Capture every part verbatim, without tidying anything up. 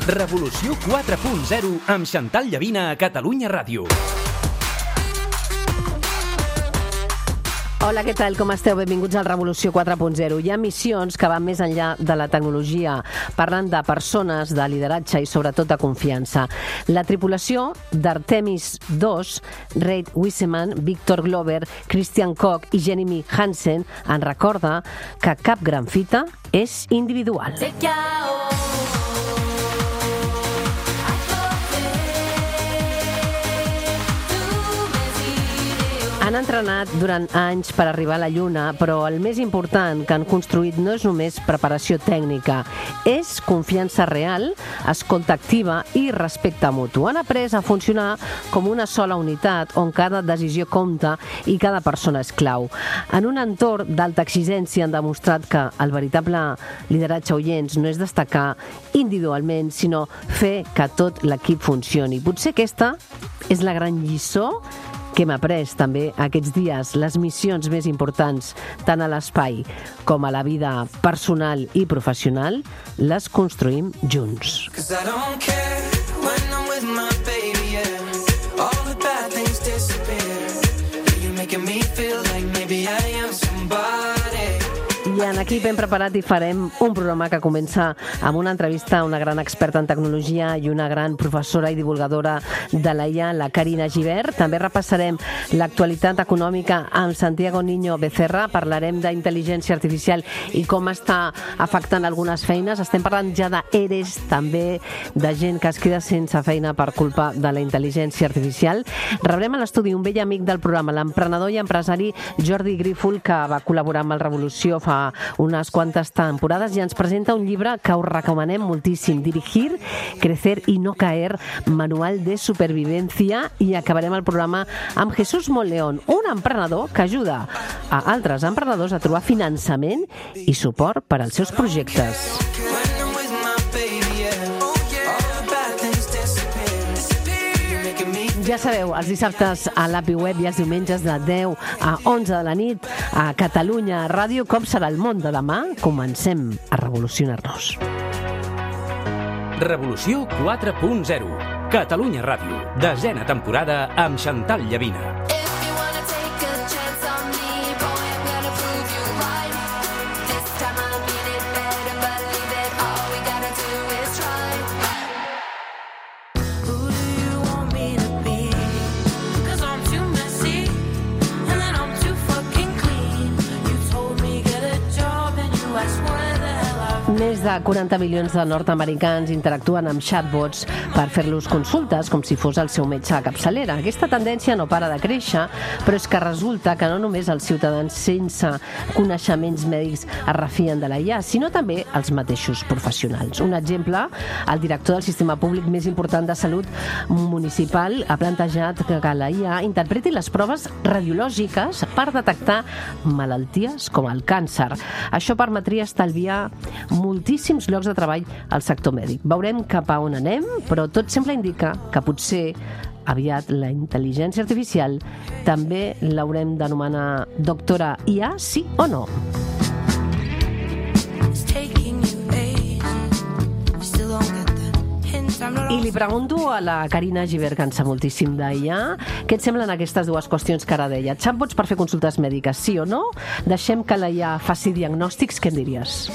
Revolució quatre punt zero amb Xantal Llavina a Catalunya Ràdio. Hola, què tal? Com esteu? Benvinguts al Revolució quatre punt zero. Hi ha missions que van més enllà de la tecnologia, parlant de persones, de lideratge i sobretot de confiança. La tripulació d'Artemis dos, Reid Wiseman, Victor Glover, Christian Koch i Jeremy Hansen en recorda que cap gran fita és individual. Han entrenat durant anys per arribar a la Lluna, però el més important que han construït no és només preparació tècnica, és confiança real, escolta activa i respecte mutu. Han après a funcionar com una sola unitat on cada decisió compta i cada persona és clau. En un entorn d'alta exigència han demostrat que el veritable lideratge oients no és destacar individualment, sinó fer que tot l'equip funcioni. Potser aquesta és la gran lliçó que hem après també aquests dies. Les missions més importants, tant a l'espai com a la vida personal i professional, les construïm junts. I en Equip hem preparat i farem un programa que comença amb una entrevista a una gran experta en tecnologia i una gran professora i divulgadora de l'A I A, la Carina Gibert. També repassarem l'actualitat econòmica amb Santiago Niño Becerra. Parlarem d'intel·ligència artificial i com està afectant algunes feines. Estem parlant ja d'ERES, també de gent que es queda sense feina per culpa de la intel·ligència artificial. Rebrem a l'estudi un vell amic del programa, l'emprenedor i empresari Jordi Grífol, que va col·laborar amb el Revolució fa unes quantes temporades i ens presenta un llibre que us recomanem moltíssim, Dirigir, Crecer y no caer, manual de supervivencia. I acabarem el programa amb Jesús Monleón, un emprenedor que ajuda a altres emprenedors a trobar finançament i suport per als seus projectes. Ja sabeu, els dissabtes a l'A P I Web i els diumenges de deu a onze de la nit a Catalunya Ràdio. Com serà el món de demà? Comencem a revolucionar-nos. Revolució quatre punt zero. Catalunya Ràdio. Desena temporada amb Xantal Llavina. Més de quaranta milions de nord-americans interactuen amb chatbots per fer-los consultes com si fos el seu metge de capçalera. Aquesta tendència no para de créixer, però és que resulta que no només els ciutadans sense coneixements mèdics es refien de la I A, sinó també els mateixos professionals. Un exemple, el director del sistema públic més important de salut municipal ha plantejat que la I A interpreti les proves radiològiques per detectar malalties com el càncer. Això permetria estalviar moltíssims llocs de treball al sector mèdic. Veurem cap a on anem, però tot sembla indicar que potser aviat la intel·ligència artificial també l'haurem d'anomenar doctora I A, sí o no? I li pregunto a la Carina Gibert, que en sap moltíssim d'I A, què et semblen aquestes dues qüestions que ara deia? Chatbots per fer consultes mèdiques, sí o no? Deixem que la I A faci diagnòstics, què en diries?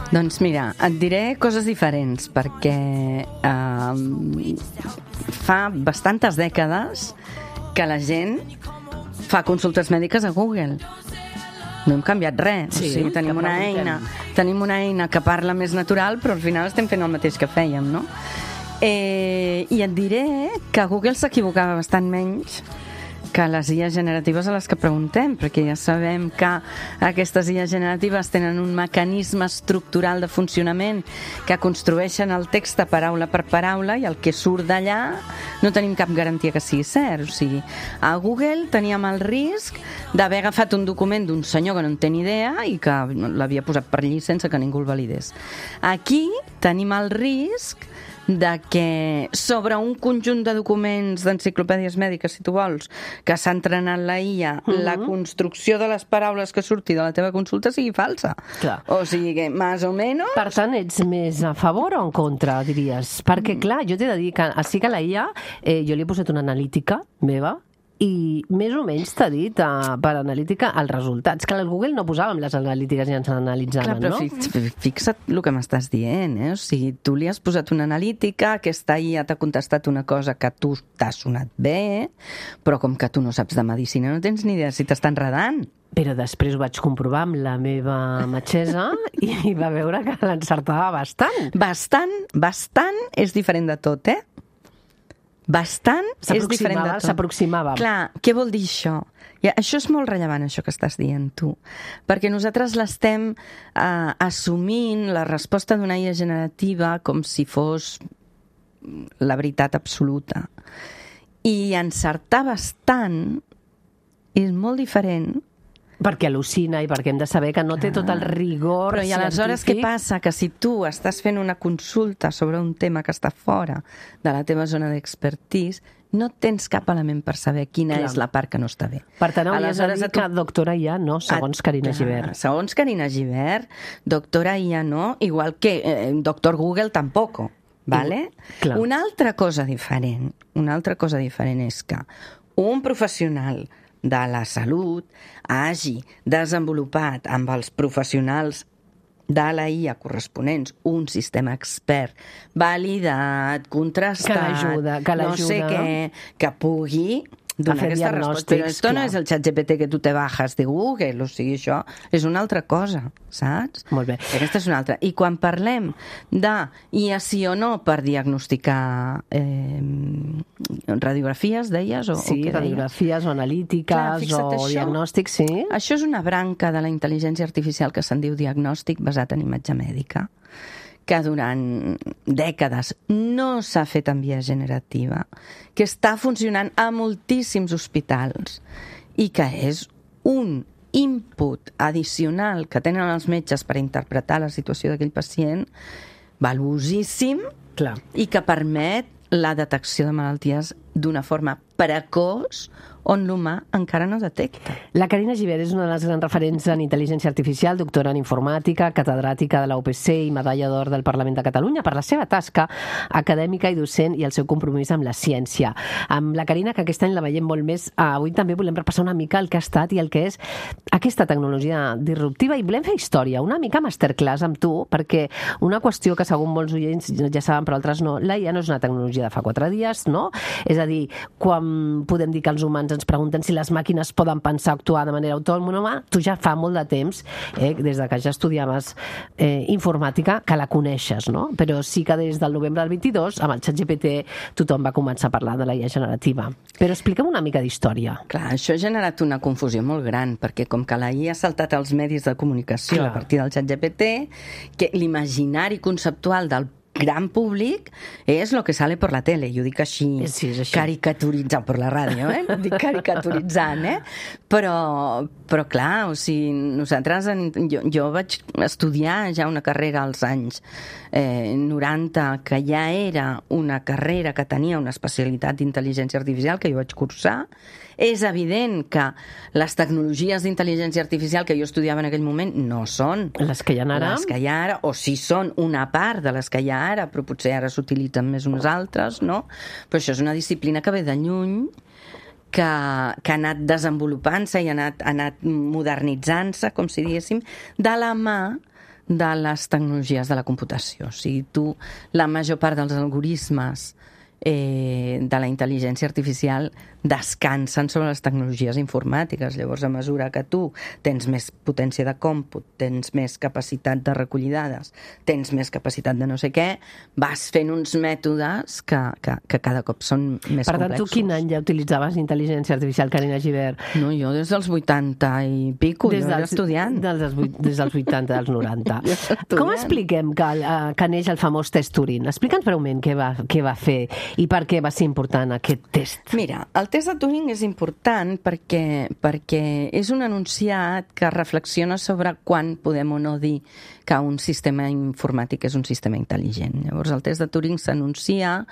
Doncs mira, et diré coses diferents, perquè eh, fa bastantes dècades que la gent fa consultes mèdiques a Google. No hem canviat res. Sí, o sigui, tenim una eina, tenim una eina que parla més natural, però al final estem fent el mateix que fèiem, no? Eh, I et diré que Google s'equivocava bastant menys que les I A generatives a les que preguntem, perquè ja sabem que aquestes I A generatives tenen un mecanisme estructural de funcionament que construeixen el text paraula per paraula i el que surt d'allà no tenim cap garantia que sigui cert. O sigui, a Google teníem el risc d'haver agafat un document d'un senyor que no en té ni idea i que l'havia posat per allí sense que ningú el validés. Aquí tenim el risc de que sobre un conjunt de documents d'enciclopèdies mèdiques, si tu vols, que s'ha entrenat la I A, uh-huh. la construcció de les paraules que surti de la teva consulta sigui falsa. Clar. O sigui que, més o menys... Per tant, ets més a favor o en contra, diries? Perquè, clar, jo t'he de dir que sí que la I A, eh, jo li he posat una analítica meva, i més o menys t'ha dit uh, per analítica els resultats. Que al Google no posàvem les analítiques i ens analitzaven, Clar, però no? Fix, fixa't el que m'estàs dient, eh? O sigui, tu li has posat una analítica, aquesta I A t'ha contestat una cosa que a tu t'ha sonat bé, però com que tu no saps de medicina no tens ni idea si t'està enredant. Però després ho vaig comprovar amb la meva metgessa i va veure que l'encertava bastant. Bastant, bastant és diferent de tot, eh? Bastant és diferent de tot. S'aproximava. Clar, què vol dir això? Ja, això és molt rellevant, això que estàs dient tu, perquè nosaltres l'estem eh, assumint, la resposta d'una I A generativa, com si fos la veritat absoluta. I encertar bastant és molt diferent. Perquè al·lucina i perquè hem de saber que no té tot el rigor Però i aleshores científic. què passa? Que si tu estàs fent una consulta sobre un tema que està fora de la teva zona d'expertise, no tens cap element per saber quina Clar. és la part que no està bé. Per tant, hauries de dir tu... que doctora I A no, segons Carina Gibert. Segons Carina Gibert, doctora I A no, igual que eh, doctor Google tampoc, ¿vale? Clar. Una altra cosa diferent, una altra cosa diferent és que un professional de la salut hagi desenvolupat amb els professionals de la I A corresponents un sistema expert validat, contrastat, que l'ajuda, que no sé què, que pugui donar aquesta resposta. Però esto no és el xat G P T que tu te bajas de Google, o sigui, això és una altra cosa, saps? Molt bé. Aquesta és una altra. I quan parlem de I A sí o no per diagnosticar eh, radiografies, deies? O, Sí, o què radiografies o analítiques Clar, fixa't, o això- diagnòstics, sí. Això és una branca de la intel·ligència artificial que se'n diu diagnòstic basat en imatge mèdica, que durant dècades no s'ha fet en via generativa, que està funcionant a moltíssims hospitals i que és un input addicional que tenen els metges per interpretar la situació d'aquell pacient valuosíssim Clar. i que permet la detecció de malalties d'una forma precoç on l'humà encara no detecta. La Carina Gibert és una de les grans referents en intel·ligència artificial, doctora en informàtica, catedràtica de la U P C i medalla d'or del Parlament de Catalunya per la seva tasca acadèmica i docent i el seu compromís amb la ciència. Amb la Carina, que aquest any la veiem molt més, avui també volem repassar una mica el que ha estat i el que és aquesta tecnologia disruptiva i volem fer història, una mica masterclass amb tu, perquè una qüestió que segur molts oients ja saben però altres no, la I A no és una tecnologia de fa quatre dies, no? És a dir, quan podem dir que els humans ens pregunten si les màquines poden pensar o actuar de manera autònoma, tu ja fa molt de temps, eh, des de que ja estudiaves eh, informàtica, que la coneixes, no? Però sí que des del novembre del vint-i-dos, amb el xat G P T, tothom va començar a parlar de la I A generativa. Però explica'm una mica d'història. Clar, això ha generat una confusió molt gran, perquè com que la I A ha saltat als medis de comunicació Clar. a partir del xat G P T, que l'imaginari conceptual del gran públic és lo que sale por la tele, i ho dic així, sí, és així. caricaturitzant per la ràdio, eh? No dic caricaturitzant, eh? Però, però clar, o sigui, nosaltres, en, jo, jo vaig estudiar ja una carrera als anys eh, noranta, que ja era una carrera que tenia una especialitat d'intel·ligència artificial, que jo vaig cursar. És evident que les tecnologies d'intel·ligència artificial que jo estudiava en aquell moment no són Les que hi ha ara? les que hi ha ara, o sí són una part de les que hi ha ara, però potser ara s'utilitzen més unes altres, no? Però això és una disciplina que ve de lluny, que, que ha anat desenvolupant-se i ha anat, ha anat modernitzant-se, com si diguéssim, de la mà de les tecnologies de la computació. O sigui, tu, la major part dels algoritmes eh, de la intel·ligència artificial descansen sobre les tecnologies informàtiques. Llavors, a mesura que tu tens més potència de còmput, tens més capacitat de recollir dades, tens més capacitat de no sé què, vas fent uns mètodes que, que, que cada cop són més Per tant, complexos. tu quin any ja utilitzaves intel·ligència artificial, Carina Gibert? No, jo des dels vuitanta i pico, Des jo era dels, estudiant. Des dels, vuit- des dels vuitanta, dels noranta. Jo era estudiant. Com expliquem que, eh, que neix el famós test Turing? Explica'ns breument què va, què va fer i per què va ser important aquest test? Mira, el test de Turing és important perquè, perquè és un enunciat que reflexiona sobre quan podem o no dir que un sistema informàtic és un sistema intel·ligent. Llavors, el test de Turing s'anuncia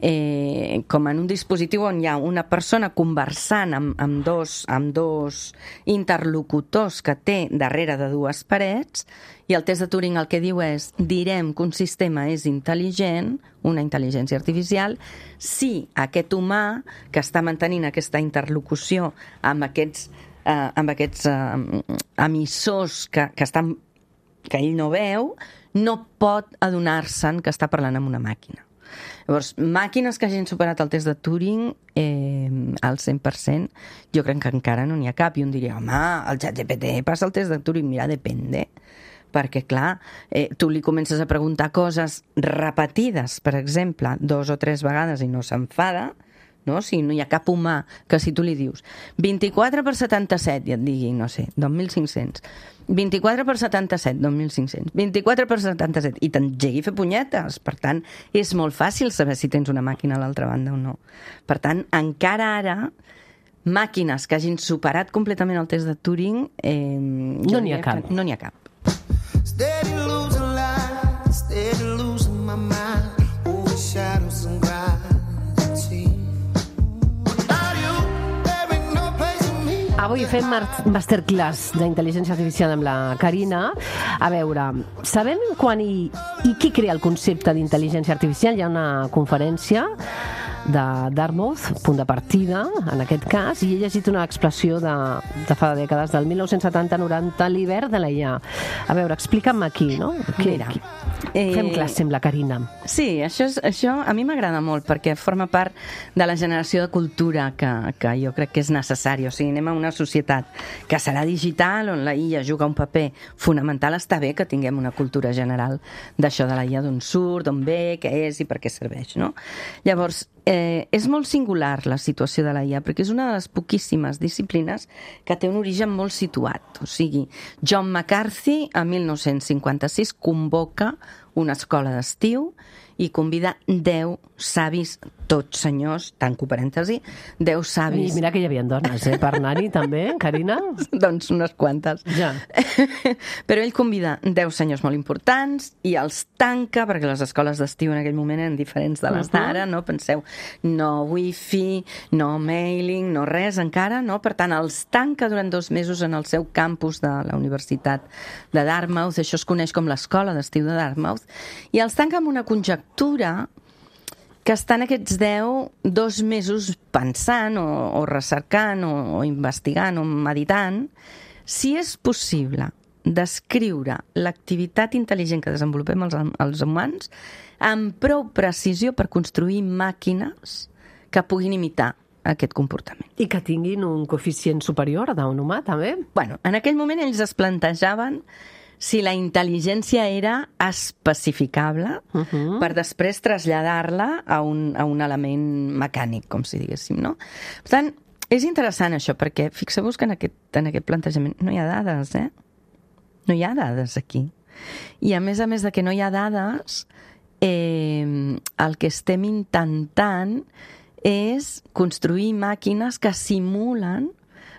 Eh, com en un dispositiu on hi ha una persona conversant amb, amb, dos, amb dos interlocutors que té darrere de dues parets, i el test de Turing el que diu és: direm que un sistema és intel·ligent, una intel·ligència artificial, si aquest humà que està mantenint aquesta interlocució amb aquests, eh, amb aquests eh, emissors que, que, estan, que ell no veu, no pot adonar-se'n que està parlant amb una màquina. Llavors, màquines que hagin superat el test de Turing eh, al cent per cent, jo crec que encara no n'hi ha cap. I un diria, home, el ChatGPT passa el test de Turing. Mira, depende. Perquè, clar, eh, tu li comences a preguntar coses repetides, per exemple, dos o tres vegades i no s'enfada, no? O sigui, no hi ha cap humà que si tu li dius vint-i-quatre per setanta-set i et digui, no sé, dos mil cinc-cents, vint-i-quatre per setanta-set, dos mil cinc-cents, vint-i-quatre per setanta-set, i t'engegui a fer punyetes. Per tant, és molt fàcil saber si tens una màquina a l'altra banda o no. Per tant, encara ara, màquines que hagin superat completament el test de Turing, eh, no n'hi ha cap. No n'hi ha cap. Steady losing light, steady losing my mind, overshadow some gravity. Without you, there ain't no place for me. Avui fem masterclass d'intel·ligència artificial amb la Carina. A veure, sabem quan i, i qui crea el concepte d'intel·ligència artificial? Hi ha una conferència de Dartmouth, punt de partida, en aquest cas, i he llegit una expressió de, de fa dècades, del mil nou-cents setanta noranta, l'hivern de la I A. A veure, explica'm aquí, no? Que, Mira, qui, eh, fem classe amb la Carina. Sí, això, és, això a mi m'agrada molt perquè forma part de la generació de cultura que, que jo crec que és necessari. O sigui, anem a una societat que serà digital, on la I A juga un paper fonamental. Està bé que tinguem una cultura general d'això de la I A, d'on surt, d'on ve, què és i per què serveix, no? Llavors, Eh, és molt singular la situació de la I A perquè és una de les poquíssimes disciplines que té un origen molt situat. O sigui, John McCarthy a mil nou-cents cinquanta-sis convoca una escola d'estiu i convida deu savis, tots senyors, tanco parèntesi, deu savis... I mira que hi havia dones, eh, per anar-hi també, Carina? Doncs unes quantes. Ja. Però ell convida deu senyors molt importants i els tanca, perquè les escoles d'estiu en aquell moment eren diferents de les d'ara, no? Penseu, no wifi, no mailing, no res encara, no? Per tant, els tanca durant dos mesos en el seu campus de la Universitat de Dartmouth, això es coneix com l'escola d'estiu de Dartmouth, i els tanca amb una conjectura que estan aquests deu, dos mesos pensant o, o recercant o, o investigant o meditant si és possible descriure l'activitat intel·ligent que desenvolupem els, els humans amb prou precisió per construir màquines que puguin imitar aquest comportament. I que tinguin un coeficient superior d'un humà, també? Bueno, en aquell moment ells es plantejaven si la intel·ligència era especificable uh -huh. per després traslladar-la a un, a un element mecànic, com si diguéssim, no? Per tant, és interessant això, perquè fixeu-vos que en aquest, en aquest plantejament no hi ha dades, eh? No hi ha dades aquí. I a més a més de que no hi ha dades, eh, el que estem intentant és construir màquines que simulen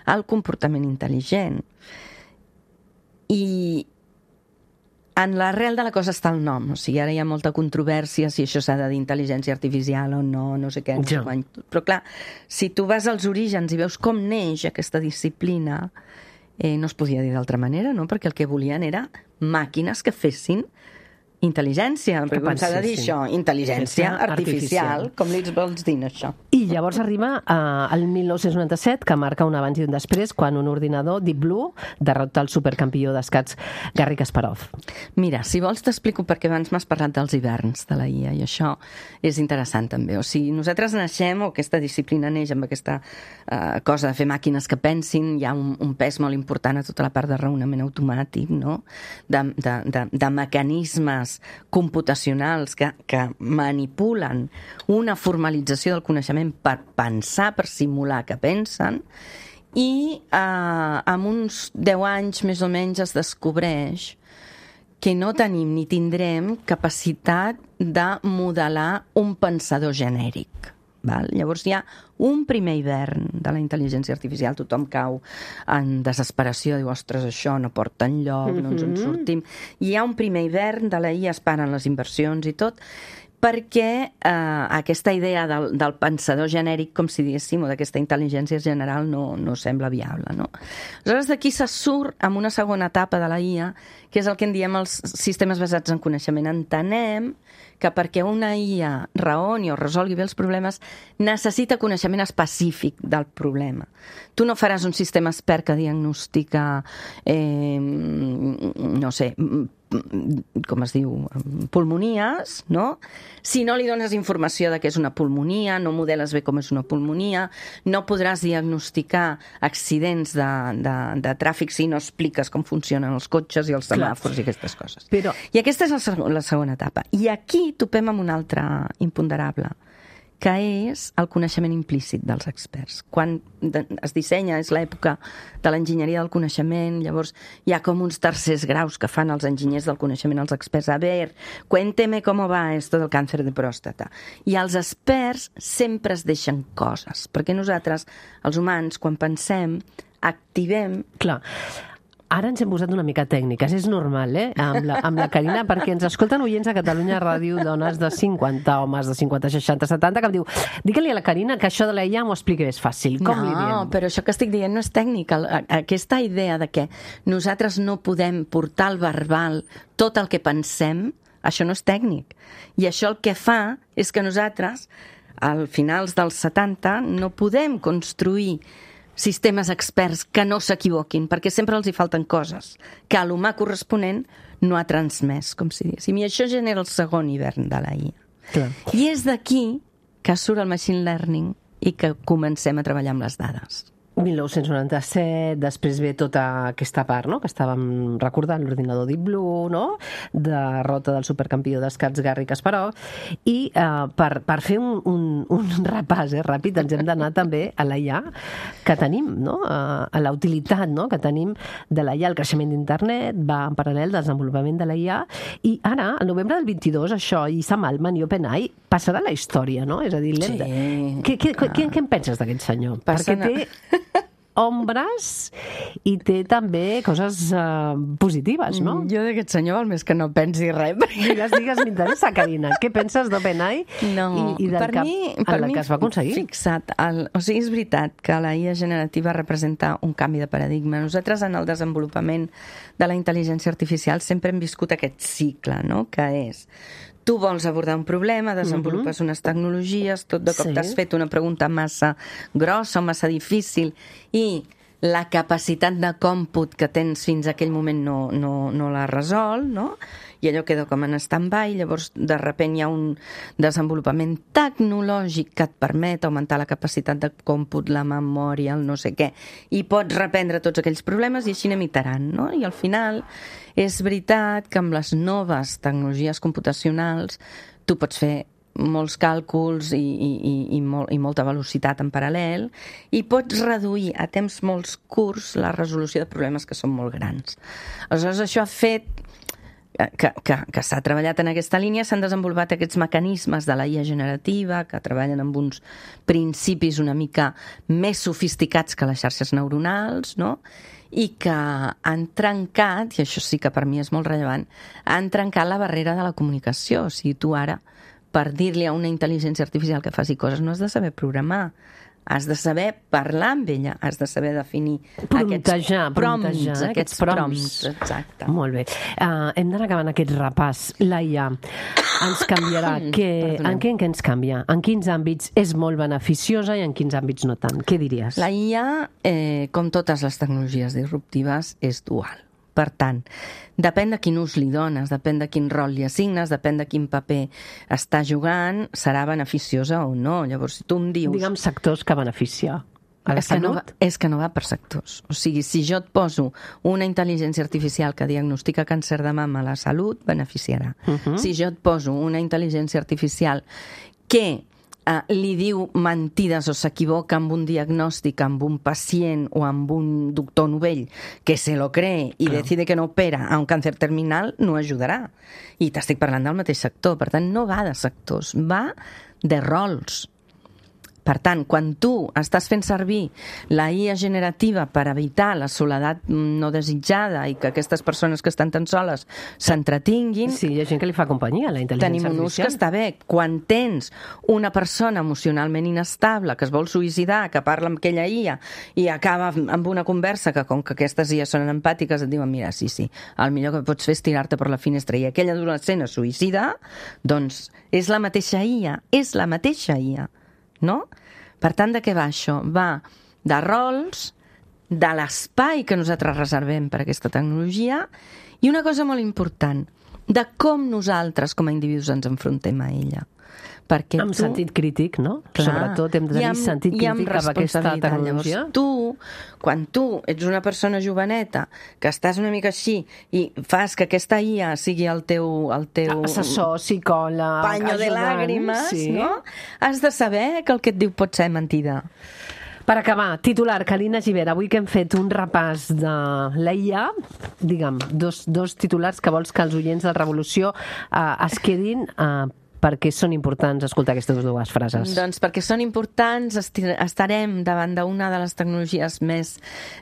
el comportament intel·ligent. I en l'arrel de la cosa està el nom, o sigui, ara hi ha molta controvèrsia si això s'ha de dir intel·ligència artificial o no, no sé què, no sé Ja. quan. Però clar, si tu vas als orígens i veus com neix aquesta disciplina, eh, no es podia dir d'altra manera, no? Perquè el que volien era màquines que fessin intel·ligència, Que perquè com s'ha de dir pensessin. això, intel·ligència Artificial. artificial, com li vols dir això? I llavors arriba a, al mil nou-cents noranta-set, que marca un abans i un després, quan un ordinador, Deep Blue, derrota el supercampió d'escacs Garry Kasparov. Mira, si vols t'explico perquè abans m'has parlat dels hiverns de la I A i això és interessant també. O sigui, nosaltres naixem, o aquesta disciplina neix amb aquesta uh, cosa de fer màquines que pensin, hi ha un, un pes molt important a tota la part de raonament automàtic, no? de, de, de, de mecanismes computacionals que, que manipulen una formalització del coneixement per pensar, per simular que pensen, i eh, amb uns deu anys més o menys es descobreix que no tenim ni tindrem capacitat de modelar un pensador genèric. Val? Llavors hi ha un primer hivern de la intel·ligència artificial, tothom cau en desesperació, diu, ostres, això no porta enlloc, no ens en sortim. Hi ha un primer hivern de la I A, es paren les inversions i tot, perquè eh, aquesta idea del, del pensador genèric, com si diguéssim, o d'aquesta intel·ligència general no, no sembla viable, no? Aleshores, d'aquí se surt amb una segona etapa de la I A, que és el que en diem els sistemes basats en coneixement. Entenem que perquè una I A raoni o resolgui bé els problemes necessita coneixement específic del problema. Tu no faràs un sistema expert que diagnostica, eh, no sé, com es diu, pulmonies, no? Si no li dones informació de què és una pulmonia, no modeles bé com és una pulmonia, no podràs diagnosticar accidents de, de, de tràfic si no expliques com funcionen els cotxes i els semàfors i aquestes coses. Però... I aquesta és la, seg la segona etapa. I aquí topem amb un altre imponderable, que és el coneixement implícit dels experts. Quan es dissenya, és l'època de l'enginyeria del coneixement, llavors hi ha com uns tercers graus que fan els enginyers del coneixement als experts. A ver, cuénteme cómo va esto del càncer de pròstata. I els experts sempre es deixen coses, perquè nosaltres, els humans, quan pensem, activem... Clar. Ara ens hem posat una mica tècniques, és normal, eh? Amb la, amb la Carina, perquè ens escolten oients a Catalunya Ràdio, dones de cinquanta, homes de cinquanta, seixanta, setanta, que em diu, digue-li a la Carina que això de la I A m'ho expliqui més fàcil. Com no, li diem? No, però això que estic dient no és tècnic. Aquesta idea de que nosaltres no podem portar al verbal tot el que pensem, això no és tècnic. I això el que fa és que nosaltres, al finals dels setanta, no podem construir sistemes experts que no s'equivoquin, perquè sempre els hi falten coses que l'humà corresponent no ha transmès, com si diguéssim. I això genera el segon hivern de la I A. Clar. I és d'aquí que surt el machine learning i que comencem a treballar amb les dades. mil nou-cents noranta-set, després ve tota aquesta part, no?, que estàvem recordant, l'ordinador Deep Blue, no?, derrota del supercampió d'escacs Garry Kasparov, i eh, per, per fer un, un, un repàs eh, ràpid ens hem d'anar també a la I A que tenim, no?, a, a la utilitat, no?, que tenim de la I A. El creixement d'internet va en paral·lel del desenvolupament de la I A, i ara, al novembre del vint-i-dos, això, i Sam Altman i OpenAI passarà a la història, no? És a dir, sí, de... què, què, què, què en penses d'aquest senyor? Passen Perquè té ombres i té també coses uh, positives, no? Jo d'aquest senyor val més que no pensi res. Digues, digues, m'interessa, Carina. Què penses d'OpenAI no, i, i del per que, mi, el per mi, que es va aconseguir? Fixa't, el, o sigui, és veritat que la I A generativa representa un canvi de paradigma. Nosaltres, en el desenvolupament de la intel·ligència artificial, sempre hem viscut aquest cicle, no?, que és... Tu vols abordar un problema, desenvolupes uh-huh. unes tecnologies, tot de cop sí. t'has fet una pregunta massa grossa o massa difícil i la capacitat de còmput que tens fins a aquell moment no, no, no la resol, no? I allò queda com en stand-by, llavors de sobte hi ha un desenvolupament tecnològic que et permet augmentar la capacitat de còmput, la memòria, el no sé què, i pots reprendre tots aquells problemes i així anem iterant, no? I al final és veritat que amb les noves tecnologies computacionals tu pots fer molts càlculs i, i, i, molt, i molta velocitat en paral·lel i pots reduir a temps molt curts la resolució de problemes que són molt grans. Aleshores, això ha fet que, que, que s'ha treballat en aquesta línia, s'han desenvolupat aquests mecanismes de la I A generativa que treballen amb uns principis una mica més sofisticats que les xarxes neuronals, no?, i que han trencat, i això sí que per mi és molt rellevant, han trencat la barrera de la comunicació. O sigui, tu ara, per dir-li a una intel·ligència artificial que faci coses, no has de saber programar, has de saber parlar amb ella, has de saber definir Promptejar, aquests prompts, promptejar, aquests prompts. Exacte. Molt bé. Uh, hem d'anar acabant aquest repàs. La I A ens canviarà. Que, en què, en què ens canvia? En quins àmbits és molt beneficiosa i en quins àmbits no tant? Què diries? La I A, eh, com totes les tecnologies disruptives, és dual. Per tant, depèn de quin ús li dones, depèn de quin rol li assignes, depèn de quin paper està jugant, serà beneficiosa o no. Llavors, si tu em dius... Digue'm sectors que beneficia. A la és, que no va, és que no va per sectors. O sigui, si jo et poso una intel·ligència artificial que diagnostica càncer de mama a la salut, beneficiarà. Uh-huh. Si jo et poso una intel·ligència artificial que eh, li diu mentides o s'equivoca amb un diagnòstic, amb un pacient o amb un doctor novell que se lo cree i Clar. decide que no opera a un càncer terminal, no ajudarà. I t'estic parlant del mateix sector. Per tant, no va de sectors, va de rols. Per tant, quan tu estàs fent servir la I A generativa per evitar la soledat no desitjada i que aquestes persones que estan tan soles s'entretinguin, Sí, hi ha gent que li fa companyia a la intel·ligència tenim un ús que artificial. està bé. Quan tens una persona emocionalment inestable que es vol suïcidar, que parla amb aquella I A i acaba amb una conversa que, com que aquestes I A són empàtiques, et diuen, mira, sí, sí, el millor que pots fer és tirar-te per la finestra, i aquella adolescent es suïcida, doncs és la mateixa I A, és la mateixa I A, no? Per tant, de què va això? Va de rols, de l'espai que nosaltres reservem per a aquesta tecnologia i una cosa molt important, de com nosaltres com a individus ens enfrontem a ella. Perquè Amb tu, sentit crític, no? clar, Sobretot hem de i tenir amb- sentit i amb crític cap a aquesta responsabilitat. tecnologia. Llavors, tu, quan tu ets una persona joveneta, que estàs una mica així i fas que aquesta I A sigui el teu, el teu Assessor, psicòleg, paño de ajudant, làgrimes, sí. no? Has de saber que el que et diu pot ser mentida. Per acabar, titular, Carina Gibert, avui que hem fet un repàs de la I A, digue'm, dos, dos titulars que vols que els oients de Revolució eh, es quedin eh, perquè són importants escoltar aquestes dues frases. Doncs perquè són importants, esti- estarem davant d'una de les tecnologies més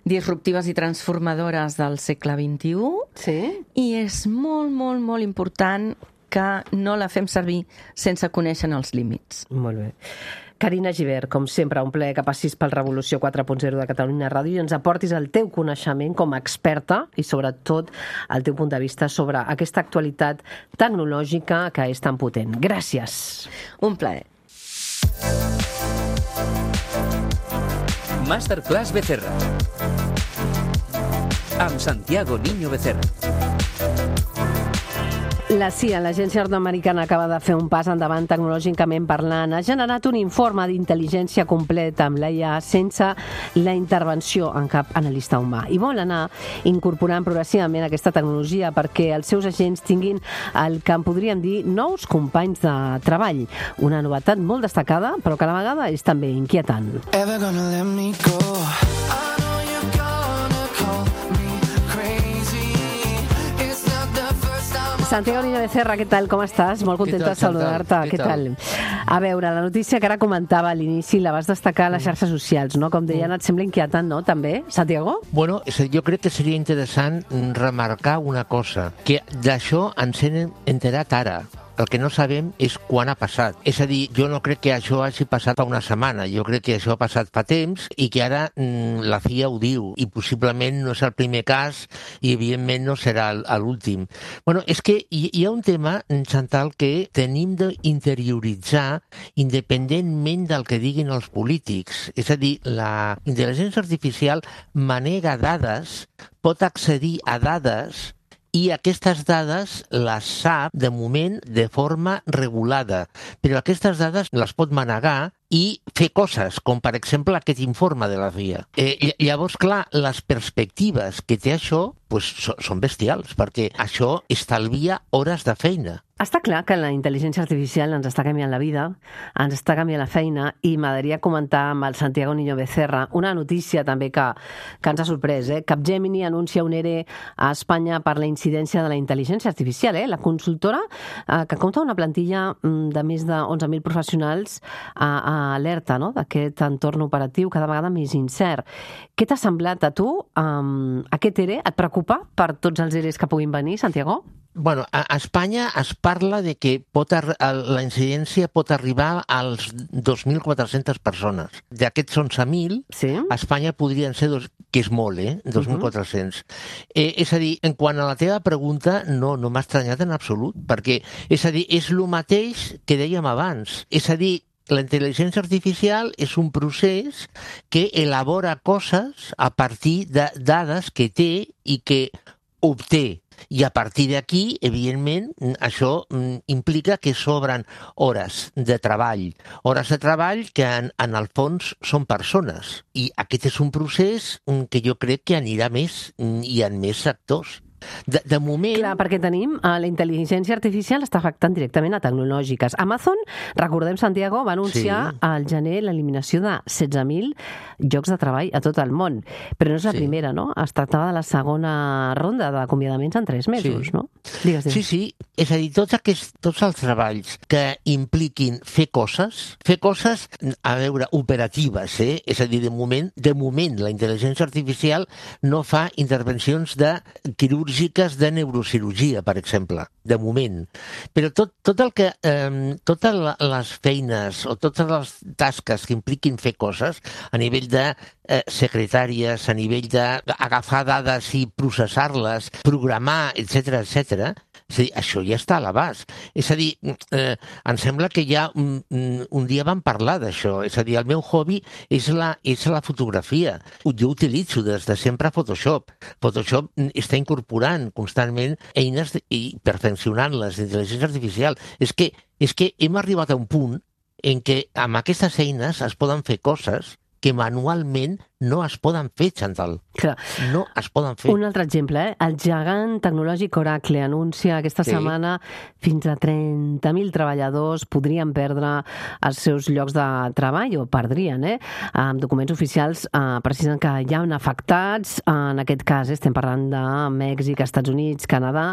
disruptives i transformadores del segle vint-i-u Sí? i és molt, molt, molt important que no la fem servir sense conèixer els límits. Molt bé. Carina Gibert, com sempre, un plaer que passis pel Revolució quatre punt zero de Catalunya Ràdio i ens aportis el teu coneixement com a experta i, sobretot, el teu punt de vista sobre aquesta actualitat tecnològica que és tan potent. Gràcies. Un plaer. Masterclass Becerra. Amb Santiago Niño Becerra. La C I A, l'agència nord-americana, acaba de fer un pas endavant tecnològicament parlant. Ha generat un informe d'intel·ligència completa amb l'A I A sense la intervenció en cap analista humà. I vol anar incorporant progressivament aquesta tecnologia perquè els seus agents tinguin el que en podríem dir nous companys de treball. Una novetat molt destacada, però que a la vegada és també inquietant. Ever gonna let me go? I know you're gonna call me crazy. It's not the first time. Santiago Niño Becerra, què tal? Com estàs? Molt contenta tal, de saludar-te. Chantal? Què Què tal? A veure, la notícia que ara comentava a l'inici la vas destacar a les xarxes socials, no? Com deien, et sembla inquietant, no? També, Santiago? Bueno, és a dir, jo crec que seria interessant remarcar una cosa, que d'això ens hem enterat ara. El que no sabem és quan ha passat. És a dir, jo no crec que això hagi passat fa una setmana, jo crec que això ha passat fa temps i que ara mm, la C I A ho diu i possiblement no és el primer cas i evidentment no serà l'últim. Bueno, és que hi, hi ha un tema, Chantal, que tenim d'interioritzar independentment del que diguin els polítics. És a dir, la intel·ligència artificial manega dades, pot accedir a dades i aquestes dades les sap, de moment, de forma regulada. Però aquestes dades les pot manegar i fer coses, com per exemple aquest informe de la C I A. Eh, llavors, clar, les perspectives que té això pues, so, són bestials, perquè això estalvia hores de feina. Està clar que la intel·ligència artificial ens està canviant la vida, ens està canviant la feina i m'agradaria comentar amb el Santiago Niño Becerra una notícia també que, que ens ha sorprès. Eh? Capgemini anuncia un E R E a Espanya per la incidència de la intel·ligència artificial. Eh? La consultora, eh, que compta una plantilla de més de onze mil professionals, a, a alerta, no?, d'aquest entorn operatiu cada vegada més incert. Què t'ha semblat a tu? Um, aquest E R E et preocupa per tots els E R Es que puguin venir, Santiago? Bueno, a Espanya es parla de que pot la incidència pot arribar als dos mil quatre-centes persones. D'aquests onze mil, Sí. a Espanya podrien ser, dos, que és molt, eh? dos mil quatre-cents. Uh-huh. eh, és a dir, en quant a la teva pregunta, no, no m'ha estranyat en absolut, perquè, és a dir, és el mateix que dèiem abans. És a dir, la intel·ligència artificial és un procés que elabora coses a partir de dades que té i que obté. I a partir d'aquí, evidentment, això implica que sobren hores de treball. Hores de treball que, en, en el fons, són persones. I aquest és un procés que jo crec que anirà més i en més sectors. De, de moment... Clar, perquè tenim eh, la intel·ligència artificial està afectant directament a tecnològiques. Amazon, recordem, Santiago, va anunciar sí. al gener l'eliminació de setze mil llocs de treball a tot el món. Però no és la sí. primera, no? Es tractava de la segona ronda d'acomiadaments en tres mesos, sí. no? Digues, digues. Sí, sí. És a dir, tots, aquests, tots els treballs que impliquin fer coses, fer coses, a veure, operatives, eh? És a dir, de moment, de moment la intel·ligència artificial no fa intervencions de quirúrgiques de neurocirurgia, per exemple, de moment. Però tot, tot el que, eh, totes les feines o totes les tasques que impliquin fer coses a nivell de eh, secretàries, a nivell d'agafar dades i processar-les, programar, etcètera, etcètera, és a dir, això ja està a l'abast. És a dir, eh, em sembla que ja un, un dia vam parlar d'això. És a dir, el meu hobby és la, és la fotografia. Jo utilitzo des de sempre Photoshop. Photoshop està incorporant constantment eines de, i perfeccionant-les d'intel·ligència artificial. És que, és que hem arribat a un punt en què amb aquestes eines es poden fer coses que manualment no es poden fer, Chantal. Clar. No es poden fer. Un altre exemple, eh? El gegant tecnològic Oracle anuncia aquesta sí. setmana fins a trenta mil treballadors podrien perdre els seus llocs de treball, o perdrien, eh? Amb documents oficials eh, precisen que hi ha afectats, en aquest cas eh, estem parlant de Mèxic, Estats Units, Canadà,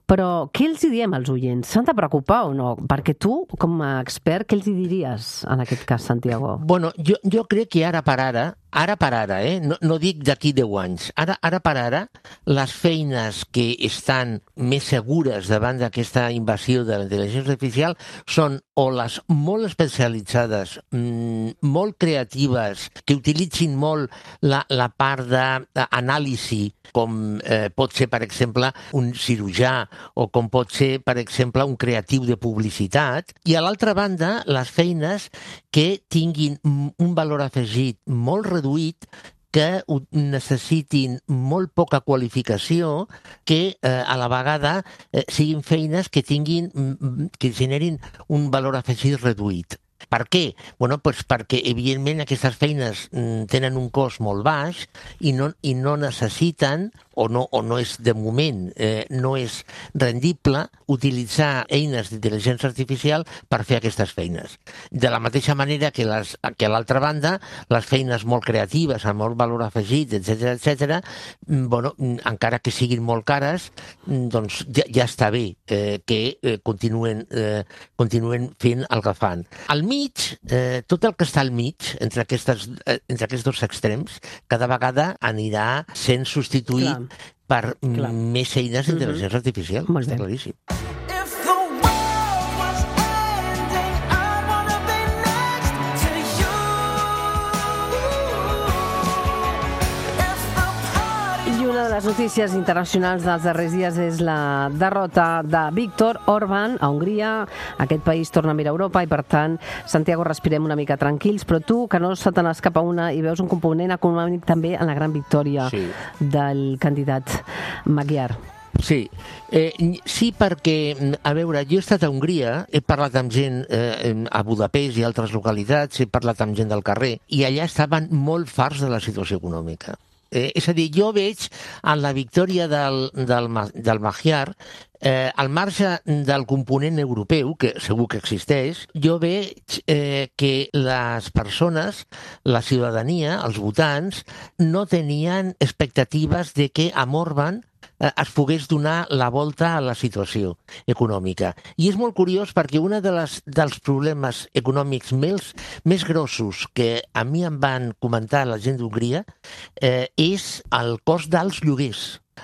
però què els hi diem als oients? S'han de preocupar o no? Perquè tu, com a expert, què els hi diries en aquest cas, Santiago? Bueno, jo, jo crec que ara per ara, ara per ara, eh? no, no dic d'aquí deu anys, ara, ara per ara, les feines que estan més segures davant d'aquesta invasió de la intel·ligència artificial són o les molt especialitzades, mmm, molt creatives, que utilitzin molt la, la part d'anàlisi, com eh, pot ser, per exemple, un cirurgià, o com pot ser, per exemple, un creatiu de publicitat, i a l'altra banda, les feines que tinguin un valor afegit molt reduït, que necessitin molt poca qualificació, que eh, a la vegada eh, siguin feines que tinguin, que generin un valor afegit reduït. Per què? Bueno, doncs perquè, evidentment, aquestes feines tenen un cost molt baix i no, i no necessiten, o no, o no és de moment, eh, no és rendible utilitzar eines d'intel·ligència artificial per fer aquestes feines. De la mateixa manera que, les, que a l'altra banda, les feines molt creatives, amb molt valor afegit, etcètera, etcètera, bueno, encara que siguin molt cares, doncs ja, ja està bé eh, que eh, continuen, eh, continuen fent el que fan. Al mig, eh, tot el que està al mig, entre, aquestes, eh, entre aquests dos extrems, cada vegada anirà sent substituït Clar. per Clar. més eines d'intel·ligència mm-hmm. artificial. Molt està bé. claríssim. Les notícies internacionals dels darrers dies és la derrota de Viktor Orbán a Hongria. Aquest país torna a mirar a Europa i, per tant, Santiago, respirem una mica tranquils, però tu, que no se te n'escapa una i veus un component econòmic també en la gran victòria sí. del candidat Magyar. Sí, eh, sí, perquè, a veure, jo he estat a Hongria, he parlat amb gent eh, a Budapest i altres localitats, he parlat amb gent del carrer, i allà estaven molt farts de la situació econòmica. Eh, és a dir, jo veig en la victòria del, del, del Magyar, eh, al marge del component europeu, que segur que existeix, jo veig eh, que les persones, la ciutadania, els votants, no tenien expectatives de que amb Orbán es pogués donar la volta a la situació econòmica. I és molt curiós perquè un de les, dels problemes econòmics més, més grossos que a mi em van comentar la gent d'Hongria eh, és el cost dels lloguers,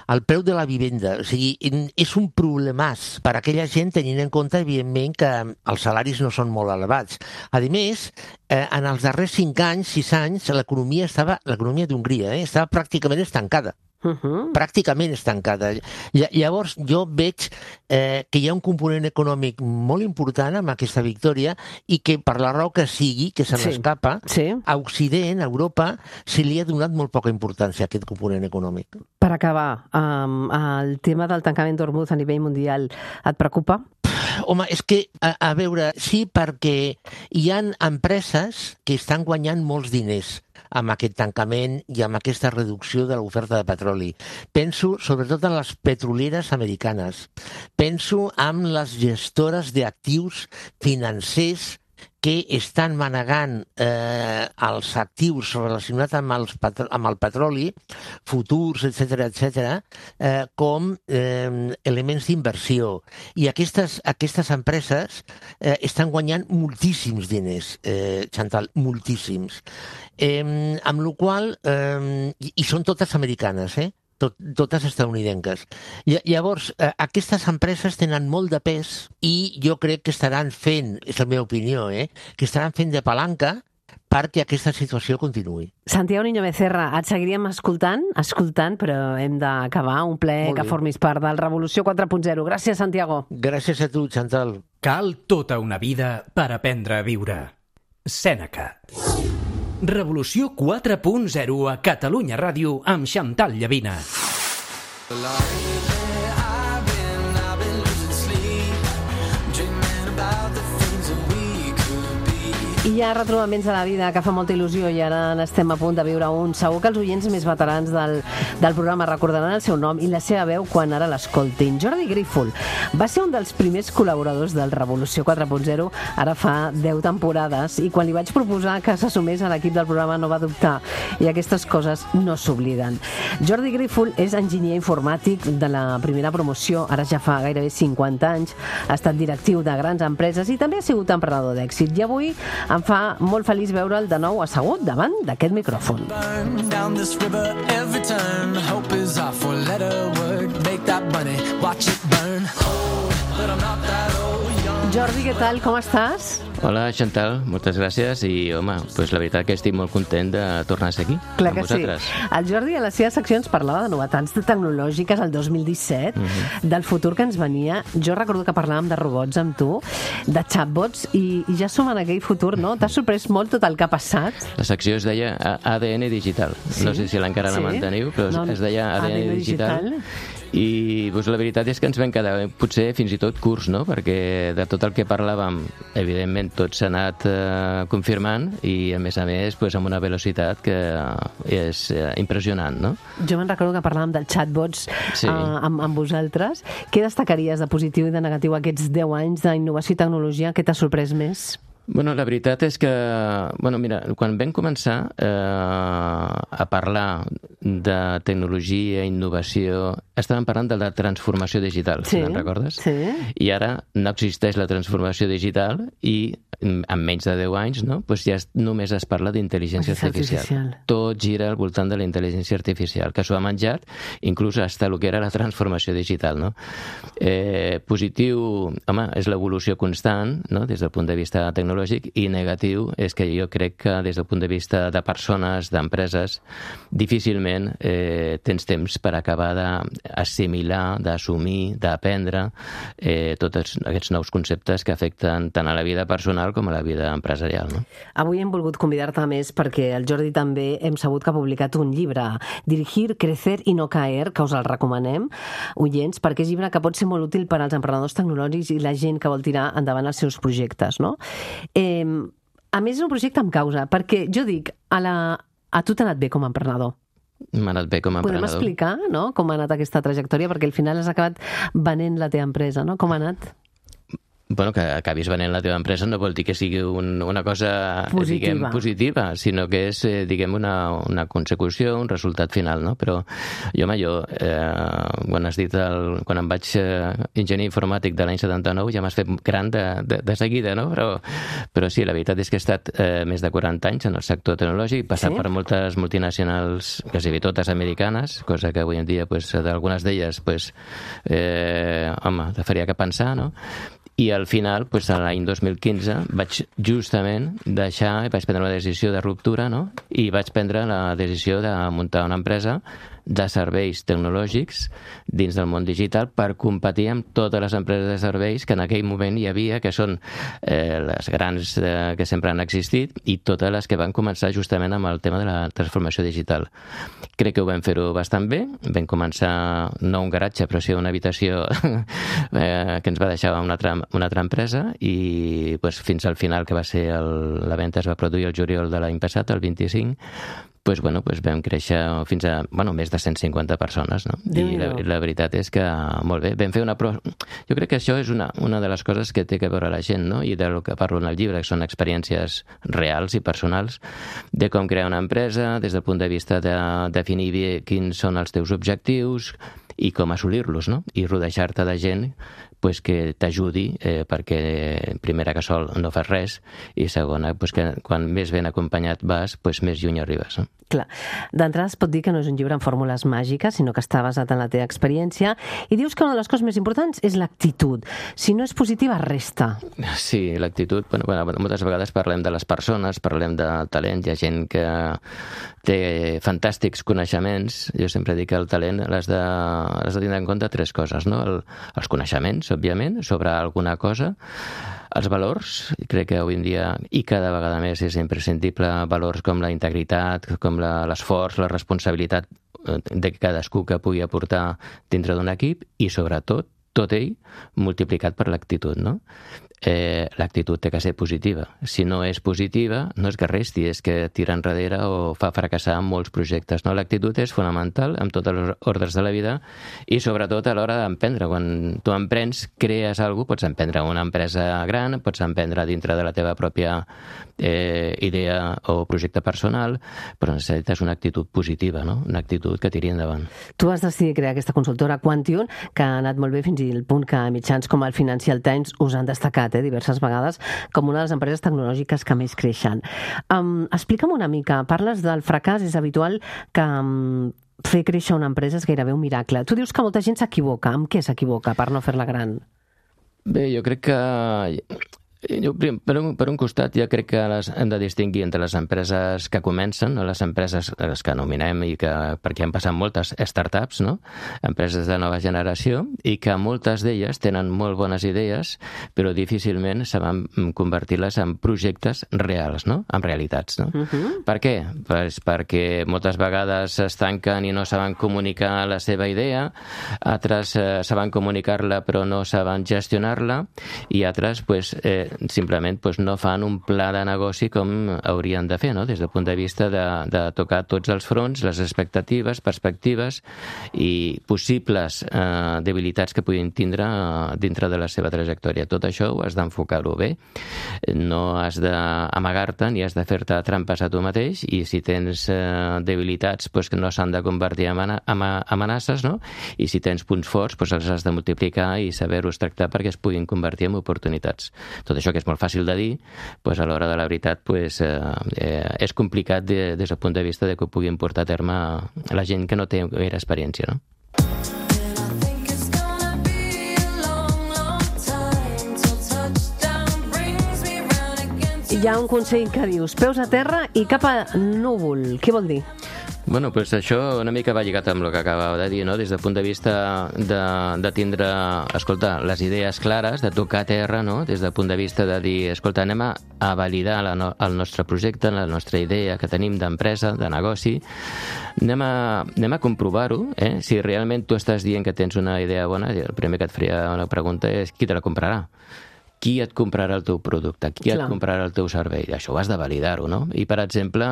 el preu de la vivenda. O sigui, és un problemàs per a aquella gent, tenint en compte, evidentment, que els salaris no són molt elevats. A més, eh, en els darrers cinc anys, sis anys, l'economia estava, l'economia d'Hongria eh, estava pràcticament estancada. Uh-huh. Pràcticament estancada. Llavors jo veig eh, que hi ha un component econòmic molt important amb aquesta victòria i que per la raó que sigui, que se n'escapa, sí. sí. a Occident, a Europa, se li ha donat molt poca importància a aquest component econòmic. Per acabar, um, el tema del tancament d'Hormuz a nivell mundial et preocupa? home, és que, a, a veure, sí, perquè hi ha empreses que estan guanyant molts diners amb aquest tancament i amb aquesta reducció de l'oferta de petroli. Penso sobretot en les petrolieres americanes. Penso en les gestores d'actius financers que estan manegant eh, els actius relacionats amb, els petro- amb el petroli, futurs, etcètera, etcètera, eh, com eh, elements d'inversió. I aquestes, aquestes empreses eh, estan guanyant moltíssims diners, eh, Chantal, moltíssims. Eh, amb la qual cosa, eh, i, i són totes americanes, eh? Tot, totes estadounidenques. Llavors, eh, aquestes empreses tenen molt de pes i jo crec que estaran fent, és la meva opinió, eh, que estaran fent de palanca perquè aquesta situació continuï. Santiago Niño Becerra, et seguiríem escoltant, escoltant, però hem d'acabar. Un plaer que formis part del Revolució quatre punt zero. Gràcies, Santiago. Gràcies a tu, Chantal. Cal tota una vida per aprendre a viure. Sèneca. Revolució quatre punt zero a Catalunya Ràdio amb Chantal Llavina. Hi ha retrobaments de la vida que fa molta il·lusió i ara n'estem a punt de viure un. Segur que els oients més veterans del, del programa recordaran el seu nom i la seva veu quan ara l'escoltin. Jordi Grífol va ser un dels primers col·laboradors del Revolució quatre punt zero, ara fa deu temporades, i quan li vaig proposar que s'assumés a l'equip del programa no va dubtar, i aquestes coses no s'obliden. Jordi Grífol és enginyer informàtic de la primera promoció, ara ja fa gairebé cinquanta anys, ha estat directiu de grans empreses i també ha sigut emprenedor d'èxit, i avui em fa molt feliç veure'l de nou assegut davant d'aquest micròfon. Jordi, què tal? Com estàs? Hola, Chantal, moltes gràcies i, home, pues la veritat que estic molt content de tornar a ser aquí. Clar amb que vosaltres. Sí. El Jordi a les seves seccions parlava de novetats tecnològiques el dos mil disset, uh-huh. del futur que ens venia. Jo recordo que parlàvem de robots amb tu, de chatbots, i, i ja som en aquell futur, no? T'ha sorprès molt tot el que ha passat? La secció es deia A D N Digital. Sí? No sé si encara sí? la manteniu, però no, es deia A D N, A D N Digital. digital. I doncs, la veritat és que ens vam quedar potser fins i tot curts, no? Perquè de tot el que parlàvem, evidentment tot s'ha anat eh, confirmant i a més a més doncs, amb una velocitat que és eh, impressionant, no? Jo me'n recordo que parlàvem del chatbots sí. eh, amb, amb vosaltres. Què destacaries de positiu i de negatiu aquests deu anys d'innovació i tecnologia? Què t'ha sorprès més? Bueno, la veritat és que, bueno, mira, quan vam començar eh, a parlar de tecnologia, innovació, estàvem parlant de la transformació digital, sí, si te'n recordes? Sí. I ara no existeix la transformació digital i en menys de deu anys, no? Pues ja es, només es parla d'intel·ligència artificial. artificial. Tot gira al voltant de la intel·ligència artificial, que s'ho ha menjat inclús hasta el que era la transformació digital, no? Eh, positiu, home, és l'evolució constant, no? Des del punt de vista tecnològic, i negatiu és que jo crec que des del punt de vista de persones, d'empreses, difícilment eh, tens temps per acabar d'assimilar, d'assumir, d'aprendre eh, tots aquests nous conceptes que afecten tant a la vida personal com a la vida empresarial. No? Avui hem volgut convidar-te més perquè el Jordi també hem sabut que ha publicat un llibre, Dirigir, Crecer y no caer, que us el recomanem, oients, perquè és llibre que pot ser molt útil per als emprenedors tecnològics i la gent que vol tirar endavant els seus projectes, no? Eh, a més, és un projecte amb causa, perquè jo dic, a, la, a tu t'ha anat bé com a emprenedor. M'ha anat bé com a emprenedor. Podem explicar, no?, com ha anat aquesta trajectòria, perquè al final has acabat venent la teva empresa, no? Com ha anat? Bueno, que acabis venent la teva empresa no vol dir que sigui un, una cosa positiva. Diguem, positiva, sinó que és, eh, diguem, una, una consecució, un resultat final, no? Però jo, home, jo, eh, quan has dit el, quan em vaig eh, enginyer informàtic de l'any setanta-nou, ja m'has fet gran de, de, de seguida, no? Però, però sí, la veritat és que he estat eh, més de quaranta anys en el sector tecnològic, passat sí? per moltes multinacionals, quasi totes americanes, cosa que avui en dia, pues, d'algunes d'elles, pues, eh, home, te faria que pensar, no? I al final, pues, l'any dos mil quinze, vaig justament deixar i vaig prendre una decisió de ruptura, no? I vaig prendre la decisió de muntar una empresa de serveis tecnològics dins del món digital per competir amb totes les empreses de serveis que en aquell moment hi havia, que són eh, les grans eh, que sempre han existit i totes les que van començar justament amb el tema de la transformació digital. Crec que ho vam fer-ho bastant bé. Vam començar, no un garatge, però sí una habitació eh, que ens va deixar una altra, una altra empresa i pues, fins al final, que va ser el, la venda es va produir el juliol de l'any passat, el vint-i-cinc, pues, bueno, pues vam créixer fins a bueno, més de cent cinquanta persones, no? I la, la veritat és que molt bé. Vam fer una pro... Jo crec que això és una, una de les coses que té que veure la gent, no? I del que parlo en el llibre, que són experiències reals i personals de com crear una empresa, des del punt de vista de definir bé quins són els teus objectius i com assolir-los, no? I rodejar-te de gent pues, que t'ajudi, eh, perquè primera que sol no fas res i segona, pues, que quan més ben acompanyat vas, pues, més lluny arribes. No? Clar. D'entrada es pot dir que no és un llibre amb fórmules màgiques, sinó que està basat en la teva experiència i dius que una de les coses més importants és l'actitud. Si no és positiva, resta. Sí, l'actitud. Bueno, bueno, moltes vegades parlem de les persones, parlem de talent, hi ha gent que té fantàstics coneixements. Jo sempre dic que el talent l'has de, has de tindre en compte tres coses, no? El, els coneixements, òbviament, sobre alguna cosa, els valors, crec que avui en dia i cada vegada més és imprescindible valors com la integritat, com la, l'esforç, la responsabilitat de cadascú que pugui aportar dintre d'un equip i sobretot tot ell multiplicat per l'actitud, no? Eh, l'actitud té que ser positiva. Si no és positiva, no és que resti, és que tira enrere o fa fracassar molts projectes. No? L'actitud és fonamental en totes les ordres de la vida i sobretot a l'hora d'emprendre. Quan tu emprens, crees alguna cosa, pots emprendre una empresa gran, pots emprendre dintre de la teva pròpia eh, idea o projecte personal, però necessites una actitud positiva, no? Una actitud que tiri endavant. Tu has decidit crear aquesta consultora Quantium, que ha anat molt bé fins al punt que mitjans com el Financial Times us han destacat eh, diverses vegades com una de les empreses tecnològiques que més creixen. Um, explica'm una mica, parles del fracàs, és habitual que um, fer créixer una empresa és gairebé un miracle. Tu dius que molta gent s'equivoca. Amb què s'equivoca per no fer-la gran? Bé, jo crec que... Jo, per, un, per un costat, jo crec que les, hem de distingir entre les empreses que comencen, no? Les empreses les que anomenem i que, perquè han passat moltes startups, no? Empreses de nova generació, i que moltes d'elles tenen molt bones idees, però difícilment saben convertir-les en projectes reals, no? En realitats. No? Uh-huh. Per què? Pues perquè moltes vegades s'estanquen i no saben comunicar la seva idea, altres eh, saben comunicar-la però no saben gestionar-la, i altres, pues, eh, simplement pues, no fan un pla de negoci com haurien de fer, no? Des del punt de vista de, de tocar tots els fronts, les expectatives, perspectives i possibles eh, debilitats que puguin tindre eh, dintre de la seva trajectòria. Tot això ho has d'enfocar-ho bé. No has d'amagar-te ni has de fer-te trampes a tu mateix, i si tens eh, debilitats pues, que no s'han de convertir en amenaces, no? I si tens punts forts pues, els has de multiplicar i saber-los tractar perquè es puguin convertir en oportunitats. Tot això que és molt fàcil de dir, pues a l'hora de la veritat pues, eh, eh, és complicat de, des del punt de vista de que ho puguin portar a terme la gent que no té gaire experiència, no? Hi ha un consell que dius peus a terra i cap a núvol. Què vol dir? Bueno, pues això una mica va lligat amb el que acabava de dir, no? Des del punt de vista de, de tindre, escolta, les idees clares, de tocar terra, no? Des del punt de vista de dir, escolta, anem a, a validar la no, el nostre projecte, la nostra idea que tenim d'empresa, de negoci, anem a, anem a comprovar-ho, eh? Si realment tu estàs dient que tens una idea bona, el primer que et faria una pregunta és qui te la comprarà? Qui et comprarà el teu producte? Qui Clar. et comprarà el teu servei? Això ho has de validar-ho, no? I, per exemple,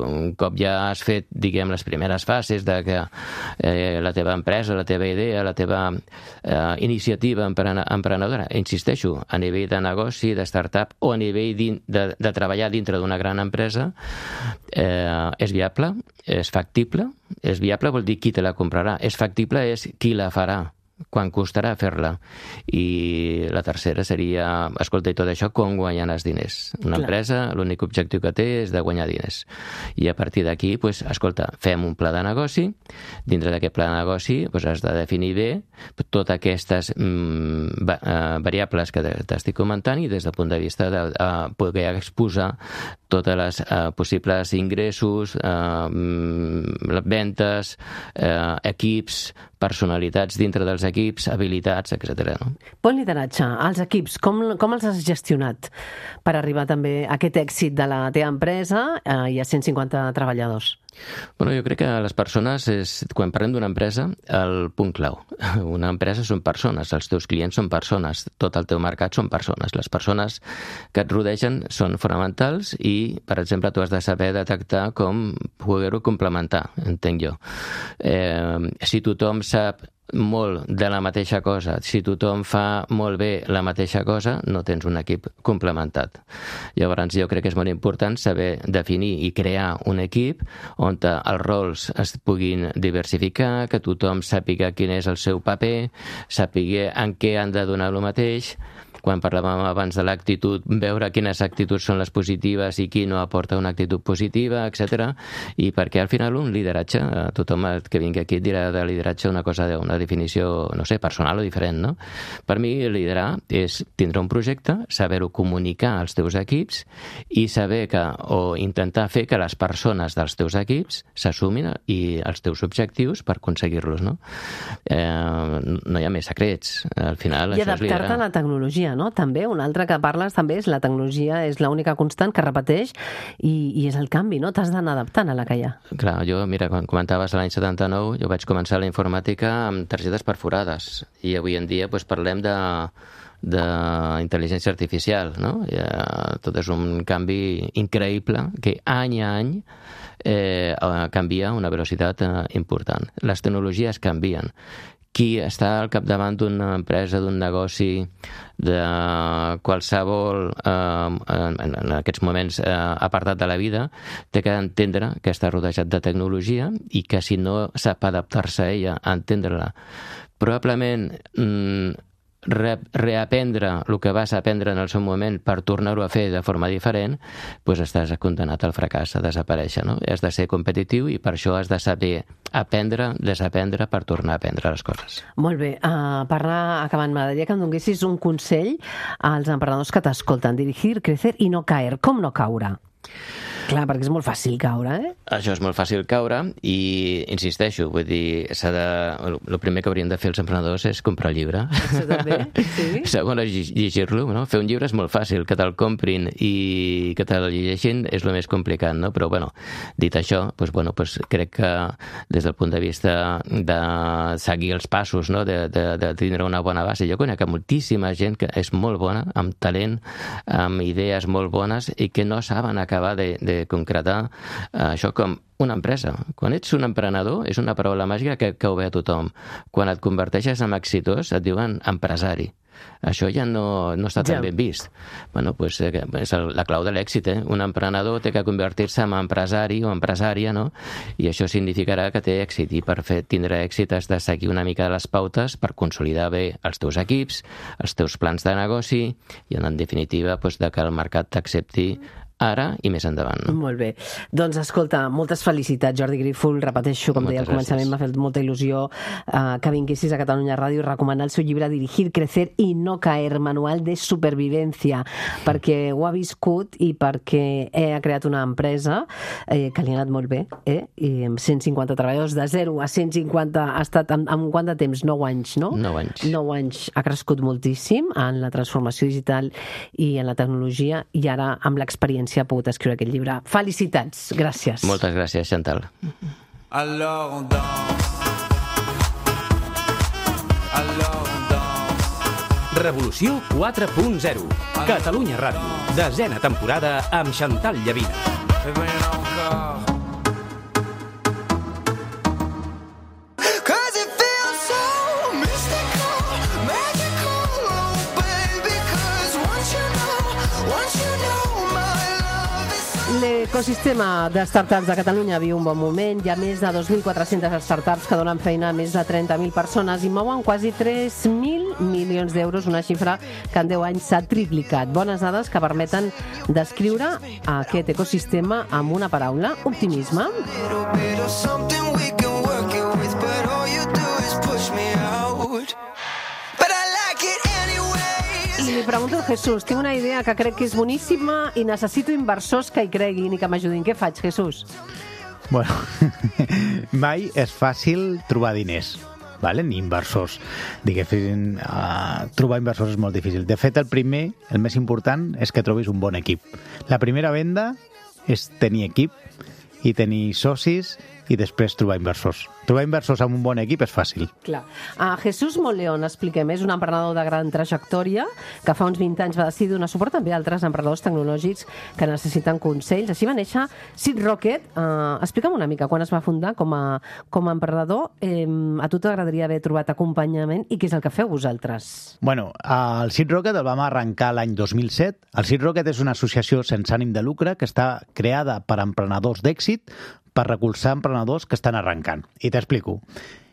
un cop ja has fet, diguem, les primeres fases de que eh, la teva empresa, la teva idea, la teva eh, iniciativa emprenedora, insisteixo, a nivell de negoci, de startup o a nivell de, de treballar dintre d'una gran empresa, eh, és viable, és factible. És viable vol dir qui te la comprarà. És factible és qui la farà. Quan costarà fer-la? I la tercera seria, escolta, i tot això, com guanyar els diners? Una Clar. empresa, l'únic objectiu que té és de guanyar diners. I a partir d'aquí, pues, escolta, fem un pla de negoci, dintre d'aquest pla de negoci pues, has de definir bé totes aquestes mm, va, uh, variables que t'estic comentant i des del punt de vista de uh, poder exposar totes les uh, possibles ingressos, uh, mm, ventes, uh, equips, personalitats dintre dels equips, habilitats, etcètera. No? Bon lideratge, els equips, com, com els has gestionat per arribar també a aquest èxit de la teva empresa eh, i a cent cinquanta treballadors? Bueno, jo crec que les persones, és, quan parlem d'una empresa, el punt clau. Una empresa són persones, els teus clients són persones, tot el teu mercat són persones. Les persones que et rodegen són fonamentals i, per exemple, tu has de saber detectar com poder-ho complementar, entenc jo. Eh, si tothom sap molt de la mateixa cosa, si tothom fa molt bé la mateixa cosa, no tens un equip complementat. Llavors jo crec que és molt important saber definir i crear un equip on els rols es puguin diversificar, que tothom sàpiga quin és el seu paper, sàpiga en què han de donar el mateix. Quan parlàvem abans de l'actitud, veure quines actituds són les positives i qui no aporta una actitud positiva, etcètera. I perquè al final un lideratge, tothom que vingui aquí et dirà de lideratge una cosa, una definició, no sé, personal o diferent, no? Per mi liderar és tindre un projecte, saber-ho comunicar als teus equips i saber que, o intentar fer que les persones dels teus equips s'assumin i els teus objectius per aconseguir-los, no? Eh, no hi ha més secrets. Al final I això és liderar. I adaptar-te a la tecnologia, no? També, un altre que parles també és la tecnologia és l'única constant que repeteix i, i és el canvi, no? T'has d'anar adaptant a la que hi ha. Clar, jo, mira, quan comentaves l'any setanta-nou, jo vaig començar la informàtica amb targetes perforades i avui en dia pues, parlem de d'intel·ligència artificial, no? I, uh, tot és un canvi increïble que any a any eh, canvia a una velocitat eh, important. Les tecnologies canvien. Qui està al capdavant d'una empresa, d'un negoci, de qualsevol, eh, en aquests moments, eh, apartat de la vida, té que entendre que està rodejat de tecnologia i que si no sap adaptar-se a ella, a entendre-la, probablement mm, Re reaprendre el que vas aprendre en el seu moment per tornar-ho a fer de forma diferent, doncs estàs condenat al fracàs, a desaparèixer, no? Has de ser competitiu i per això has de saber aprendre, desaprendre per tornar a aprendre les coses. Molt bé. Uh, per anar acabant, m'agradaria que em donessis un consell als emprenedors que t'escolten. Dirigir, crecer i no caer. Com no caure? Clar, perquè és molt fàcil caure, eh? Això és molt fàcil caure i, insisteixo, vull dir, s'ha de... el primer que haurien de fer els emprenedors és comprar el llibre. Això també, sí. Segon, llegir-lo, no? Fer un llibre és molt fàcil, que te'l comprin i que te'l llegeixin és el més complicat, no? Però, bueno, dit això, doncs, bueno, doncs crec que des del punt de vista de seguir els passos, no? De, de, de tindre una bona base, jo conec moltíssima gent que és molt bona, amb talent, amb idees molt bones i que no saben acabar de, de concretar uh, això com una empresa. Quan ets un emprenedor és una paraula màgica que, que ho ve a tothom. Quan et converteixes en exitós et diuen empresari. Això ja no, no està tan ja. ben vist. Bueno, pues, eh, és el, la clau de l'èxit, eh? Un emprenedor té que convertir-se en empresari o empresària, no? I això significarà que té èxit. I per fer, tindre èxit has de seguir una mica les pautes per consolidar bé els teus equips, els teus plans de negoci i, en definitiva, pues, de que el mercat t'accepti ara i més endavant. No? Molt bé. Doncs escolta, moltes felicitats, Jordi Grífol. Repeteixo, com moltes deia al començament, m'ha fet molta il·lusió uh, que vinguessis a Catalunya Ràdio i recomanar el seu llibre Dirigir, Crecer y no caer, manual de supervivència, perquè ho ha viscut i perquè ha creat una empresa eh, que li ha anat molt bé, eh? I amb cent cinquanta treballadors, de zero a cent cinquanta ha estat en, en quant de temps? nou anys, no? nou anys. nou anys. Ha crescut moltíssim en la transformació digital i en la tecnologia i ara amb l'experiència ha pogut escriure aquest llibre. Felicitats, gràcies. Moltes gràcies, Chantal. Alors on danse. Alors on danse. Revolució quatre punt zero. Catalunya Ràdio. Desena temporada amb Chantal Llavina. Et ben encore. Cause it feels so mystical, magical, oh baby, cause once you know, once you know my love is so... Le L'ecosistema de startups de Catalunya viu un bon moment. Hi ha més de dos mil quatre-centes startups que donen feina a més de trenta mil persones i mouen quasi tres mil milions d'euros, una xifra que en deu anys s'ha triplicat. Bones dades que permeten descriure aquest ecosistema amb una paraula: optimisme. I li pregunto al Jesús, tinc una idea que crec que és boníssima i necessito inversors que hi creguin i que m'ajudin. Què faig, Jesús? Bueno, mai és fàcil trobar diners, vale? Ni inversors. Diguéssim, uh, trobar inversors és molt difícil. De fet, el primer, el més important, és que trobis un bon equip. La primera venda és tenir equip i tenir socis i després trobar inversors. Trobar inversors amb un bon equip és fàcil. Clar. Uh, Jesús Monleón, expliquem, és un emprenedor de gran trajectòria que fa uns vint anys va decidir donar suport també a altres emprenedors tecnològics que necessiten consells. Així va néixer Seed Rocket. Uh, explica'm una mica quan es va fundar com a, com a emprenedor. Eh, a tu t'agradaria haver trobat acompanyament i què és el que feu vosaltres? Bueno, el Seed Rocket el vam arrencar l'any dos mil set. El Seed Rocket és una associació sense ànim de lucre que està creada per emprenedors d'èxit per recolzar emprenedors que estan arrencant. I t'explico.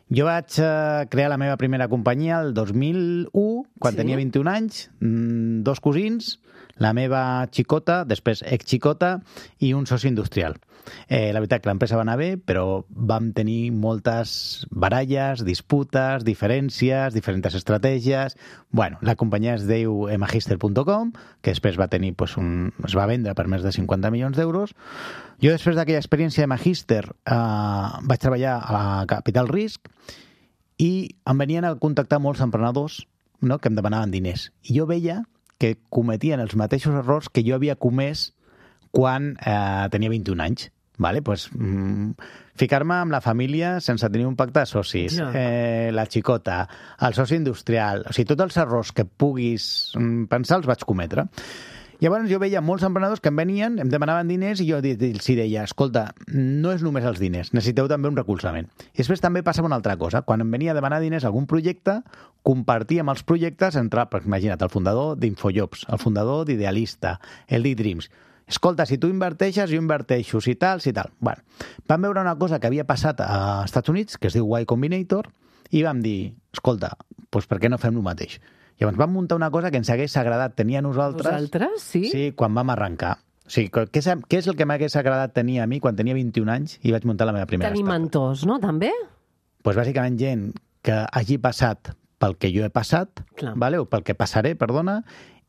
Jo vaig eh, crear la meva primera companyia el dos mil u, quan sí. tenia vint-i-un anys, mmm, dos cosins, la meva xicota, després ex-xicota, i un soci industrial. Eh, la veritat que l'empresa va anar bé, però vam tenir moltes baralles, disputes, diferències, diferents estratègies. Bueno, la companyia es diu emagister punt com, que després va tenir, pues, un, es va vendre per més de cinquanta milions d'euros. Jo, després d'aquella experiència de Magister, eh, vaig treballar a Capital Risk i em venien a contactar molts emprenedors, no?, que em demanaven diners. I jo veia que cometien els mateixos errors que jo havia comès quan eh, tenia vint-i-un anys. Vale? Pues, mm, ficar-me amb la família sense tenir un pacte de socis, ja. eh, la xicota, el soci industrial, o sigui, tots els errors que puguis mm, pensar els vaig cometre. Llavors jo veia molts emprenedors que em venien, em demanaven diners i jo els deia, escolta, no és només els diners, necessiteu també un recolzament. I després també passava una altra cosa. Quan em venia a demanar diners a algun projecte, compartíem els projectes entre, imagina't, el fundador d'Infojobs, el fundador d'Idealista, el d'eDreams. Escolta, si tu inverteixes, jo inverteixo, si tal, si tal. Bueno, vam veure una cosa que havia passat a Estats Units, que es diu Y Combinator, i vam dir, escolta, doncs per què no fem el mateix? Llavors vam muntar una cosa que ens hagués agradat tenir a nosaltres. Vosaltres, sí? Sí, quan vam arrencar. O sigui, què és, què és el que m'hagués agradat tenir a mi quan tenia vint-i-un anys i vaig muntar la meva primera Tenir startup? mentors, no? També? Doncs pues bàsicament gent que hagi passat pel que jo he passat, vale? O pel que passaré, perdona,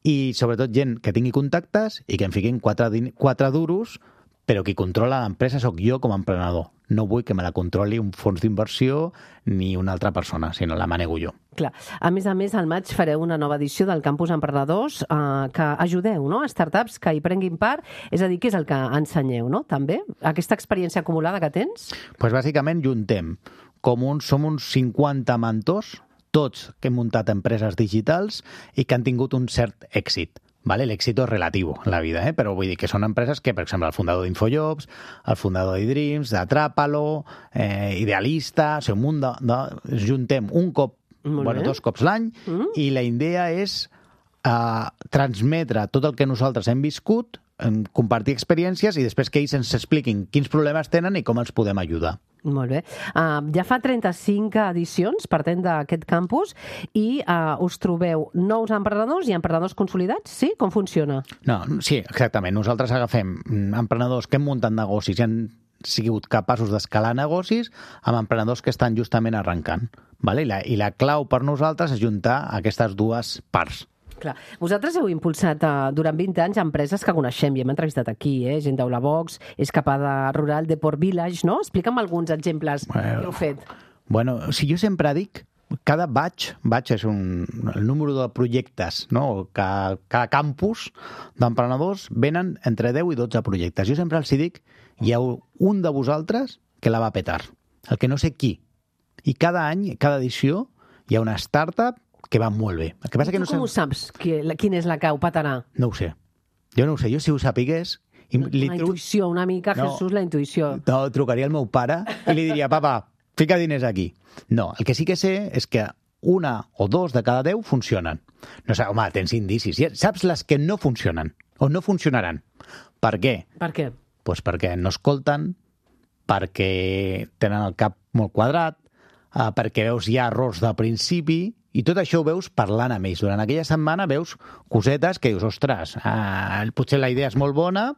i sobretot gent que tingui contactes i que em fiquin quatre, quatre duros, però qui controla l'empresa sóc jo com a emprenedor. No vull que me la controli un fons d'inversió ni una altra persona, sinó la manego jo. Clar. A més a més, al maig fareu una nova edició del Campus Emprenedors eh, que ajudeu, no?, a startups que hi prenguin part. És a dir, què és el que ensenyeu, no?, també? Aquesta experiència acumulada que tens? Doncs pues bàsicament juntem. Com uns, som uns cinquanta mentors, tots que hem muntat empreses digitals i que han tingut un cert èxit. Vale, l'èxito és relatiu en la vida, eh? Però vull dir que són empreses que, per exemple, el fundador d'Infojobs, el fundador d'eDreams, d'Atrápalo, eh, Idealista, o sigui, un munt de, de... Juntem un cop, bueno, dos cops l'any, mm. i la idea és eh, transmetre tot el que nosaltres hem viscut, compartir experiències i després que ells ens expliquin quins problemes tenen i com els podem ajudar. Molt bé. Uh, ja fa trenta-cinc edicions partent d'aquest campus i uh, us trobeu nous emprenedors i emprenedors consolidats, sí? Com funciona? No, sí, exactament. Nosaltres agafem emprenedors que hem muntat negocis i han sigut capaços d'escalar negocis amb emprenedors que estan justament arrencant. Vale? I, la, I la clau per nosaltres és juntar aquestes dues parts. Clar. Vosaltres heu impulsat uh, durant vint anys empreses que coneixem i hem entrevistat aquí, eh? Gent d'Eulavox, Escapada Rural, Deport Village, no? Explica'm alguns exemples bueno, que heu fet. Bueno, si jo sempre dic, cada batch, batch és un, el número de projectes, no? Cada, cada campus d'emprenedors venen entre deu i dotze projectes. Jo sempre els dic, hi ha un de vosaltres que la va petar, el que no sé qui. I cada any, cada edició, hi ha una startup que va molt bé. El que passa tu que no com sé... ho saps? Quina és la que ho patarà? No ho sé. Jo no ho sé. Jo si ho sapigués... La li tru... intuïció, una mica, no, Jesús, la intuïció. No, trucaria al meu pare i li diria, papa, fica diners aquí. No, el que sí que sé és que una o dos de cada deu funcionen. No sé, home, tens indicis. Saps les que no funcionen o no funcionaran. Per què? Per què? Pues perquè no escolten, perquè tenen el cap molt quadrat, eh, perquè veus ja errors de principi, i tot això ho veus parlant amb ells. Durant aquella setmana veus cosetes que dius, ostres, eh, potser la idea és molt bona,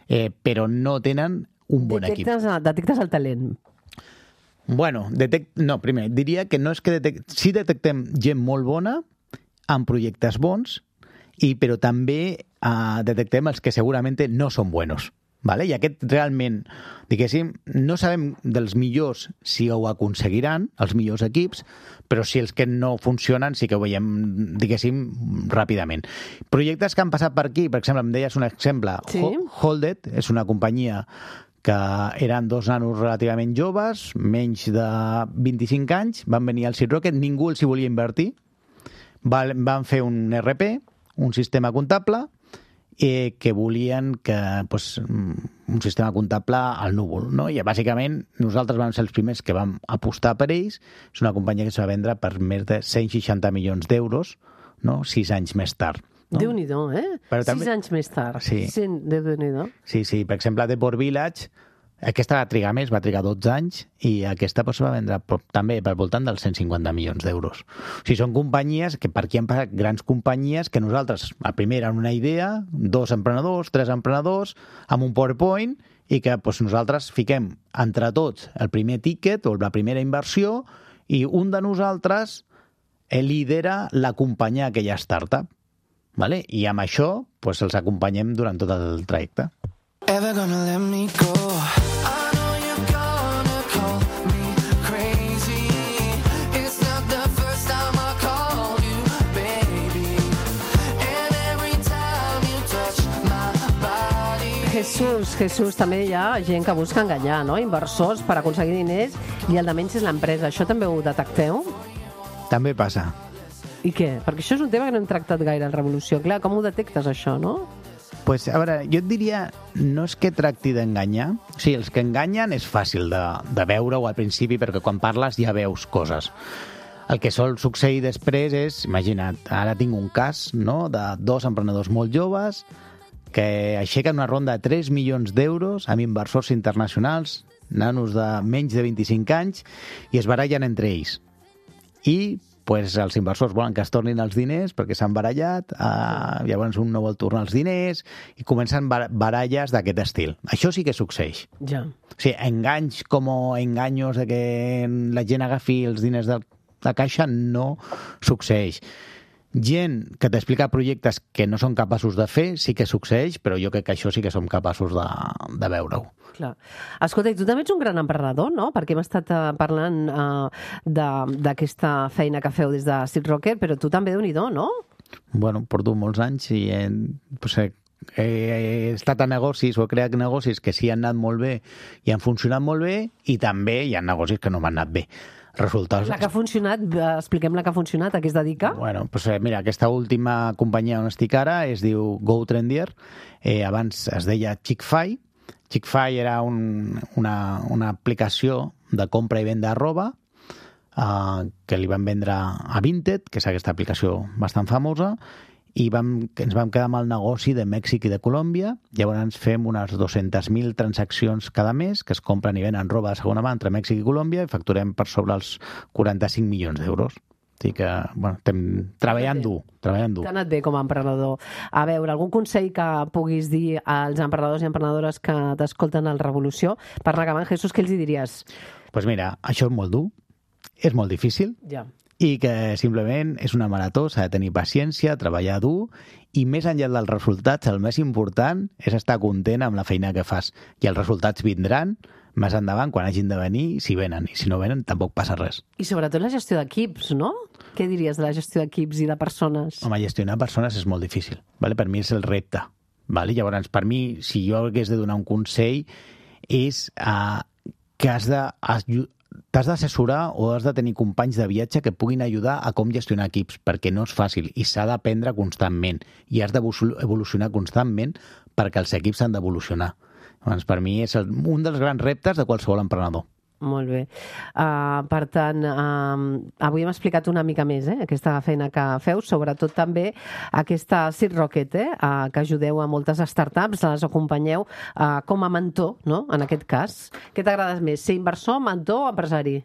eh, però no tenen un bon detectes, equip. Detectes el talent. Bueno, detect... no, primer, diria que no és que detect... sí detectem gent molt bona amb projectes bons, i, però també eh, detectem els que segurament no són buenos. Vale? I aquest realment, diguéssim, no sabem dels millors si ho aconseguiran, els millors equips, però si els que no funcionen sí que ho veiem, diguéssim, ràpidament. Projectes que han passat per aquí, per exemple, em deies un exemple, sí. Holded és una companyia que eren dos nanos relativament joves, menys de vint-i-cinc anys, van venir al Seed Rocket, ningú els hi volia invertir, van fer un R P, un sistema comptable, eh, que volien que, pues, un sistema comptable al núvol, no? I bàsicament nosaltres vam ser els primers que vam apostar per ells. És una companyia que es va vendre per més de cent seixanta milions d'euros, no? Sis anys més tard. No? Déu-n'hi-do, eh? Però Sis també... anys més tard. Sí. Sí, Déu-n'hi-do. Sí, sí. Per exemple, The Port Village, aquesta va trigar més, va trigar dotze anys, i aquesta pues, va vendre també per voltant dels cent cinquanta milions d'euros. O sigui, són companyies que per aquí han passat grans companyies que nosaltres, a primera, eren una idea, dos emprenedors, tres emprenedors, amb un PowerPoint, i que pues, nosaltres fiquem entre tots el primer ticket o la primera inversió, i un de nosaltres lidera l'acompanyar aquella startup. Vale? I amb això pues, els acompanyem durant tot el trajecte. Ever gonna let me go? I know you're gonna call me crazy. It's not the first time I called you, baby. And every time you touch my body. Jesús, Jesús, també hi ha gent que busca enganyar, no? Inversors per aconseguir diners, i el de menys és l'empresa. Això també ho detecteu? També passa. I què? Perquè això és un tema que no hem tractat gaire en Revolució. Clar, com ho detectes, això, no? Pues, a veure, jo et diria, no és que tracti d'enganyar. O sigui, els que enganyen és fàcil de, de veure-ho al principi, perquè quan parles ja veus coses. El que sol succeir després és, imagina't, ara tinc un cas, no?, de dos emprenedors molt joves que aixequen una ronda de tres milions d'euros amb inversors internacionals, nanos de menys de vint-i-cinc anys, i es barallen entre ells. I pues els inversors volen que es tornin els diners perquè s'han barallat, eh, llavors un no vol tornar els diners, i comencen bar baralles d'aquest estil. Això sí que succeeix. Ja. O sigui, enganys com engaños de que la gent agafi els diners de la caixa no succeeix. Gent que t'explica projectes que no són capaços de fer sí que succeeix, però jo crec que això sí que som capaços de, de veure-ho. Clar. Escolta, i tu també ets un gran emprenedor, no? Perquè hem estat uh, parlant uh, d'aquesta feina que feu des de Seed Rocket, però tu també, Déu-n'hi-do, no? Bueno, porto molts anys i he, pues, he, he estat a negocis o he creat negocis que sí han anat molt bé i han funcionat molt bé, i també hi ha negocis que no m'han anat bé. Resultats... La que ha funcionat, expliquem la que ha funcionat, a què es dedica? Bueno, pues, mira, aquesta última companyia on estic ara es diu GoTrendier, eh, abans es deia Chick-fil. Chick-fil era un, una, una aplicació de compra i venda de roba eh, que li van vendre a Vinted, que és aquesta aplicació bastant famosa, i vam, ens vam quedar amb el negoci de Mèxic i de Colòmbia. Llavors fem unes dues-centes mil transaccions cada mes que es compren i venen roba de segona mà entre Mèxic i Colòmbia, i facturem per sobre els quaranta-cinc milions d'euros. O sigui que, bueno, estem treballant dur, treballant dur. T'ha anat bé com a emprenedor. A veure, algun consell que puguis dir als emprenedors i emprenedores que t'escolten al Revolució? Per anar acabant, Jesús, què els hi diries? Doncs pues mira, això és molt dur, és molt difícil, ja. I que simplement és una marató, s'ha de tenir paciència, treballar dur, i més enllà dels resultats, el més important és estar content amb la feina que fas. I els resultats vindran més endavant, quan hagin de venir, si venen. I si no venen, tampoc passa res. I sobretot la gestió d'equips, no? Què diries de la gestió d'equips i de persones? Home, gestionar persones és molt difícil. Vale? Per mi és el repte. Vale? Llavors, per mi, si jo hagués de donar un consell, és uh, que has de... t'has d'assessorar o has de tenir companys de viatge que puguin ajudar a com gestionar equips, perquè no és fàcil i s'ha d'aprendre constantment i has d'evolucionar constantment perquè els equips han d'evolucionar. Doncs per mi és el, un dels grans reptes de qualsevol emprenedor. Molt bé. Uh, per tant, uh, avui hem explicat una mica més eh, aquesta feina que feu, sobretot també aquesta Seed Rocket, eh, uh, que ajudeu a moltes startups, les acompanyeu uh, com a mentor, no?, en aquest cas. Què t'agrada més, ser inversor, mentor o empresari?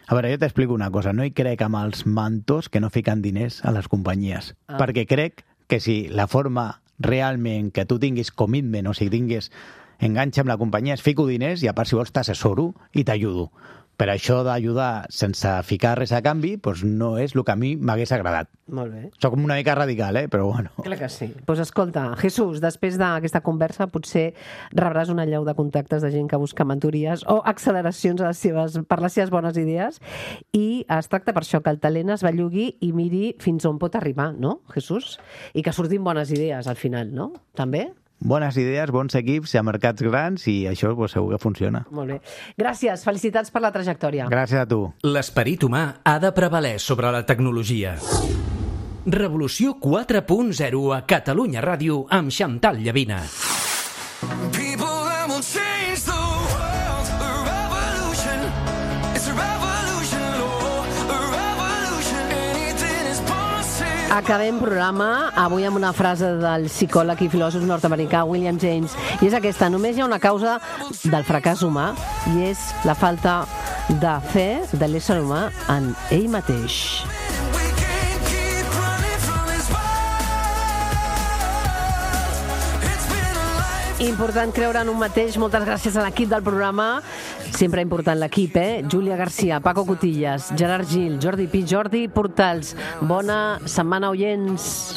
A veure, jo t'explico una cosa. No hi crec amb els mentors que no fiquen diners a les companyies, ah. perquè crec que si la forma realment que tu tinguis commitment, o sigui, tinguis enganxa amb la companyia, es fico diners i a part si vols t'assessoro i t'ajudo. Per això d'ajudar sense ficar res a canvi, doncs no és el que a mi m'hagués agradat. Molt bé. Soc una mica radical, eh? Però bueno. Clar que sí. Doncs pues escolta, Jesús, després d'aquesta conversa potser rebràs una llau de contactes de gent que busca mentories o acceleracions a les seves, per les seves bones idees, i es tracta per això que el talent es bellugui i miri fins on pot arribar, no, Jesús? I que surtin bones idees al final, no? També? Bones idees, bons equips, a mercats grans, i això pues, segur que funciona. Molt bé. Gràcies, felicitats per la trajectòria. Gràcies a tu. L'esperit humà ha de prevaler sobre la tecnologia. Revolució quatre punt zero a Catalunya Ràdio amb Xantal Llavina. Acabem programa avui amb una frase del psicòleg i filòsof nord-americà William James, i és aquesta: només hi ha una causa del fracàs humà i és la falta de fe de l'ésser humà en ell mateix. Important creure en un mateix. Moltes gràcies a l'equip del programa. Sempre important l'equip, eh? Júlia Garcia, Paco Cotillas, Gerard Gil, Jordi Pi, Jordi Portals. Bona setmana, oients.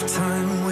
Time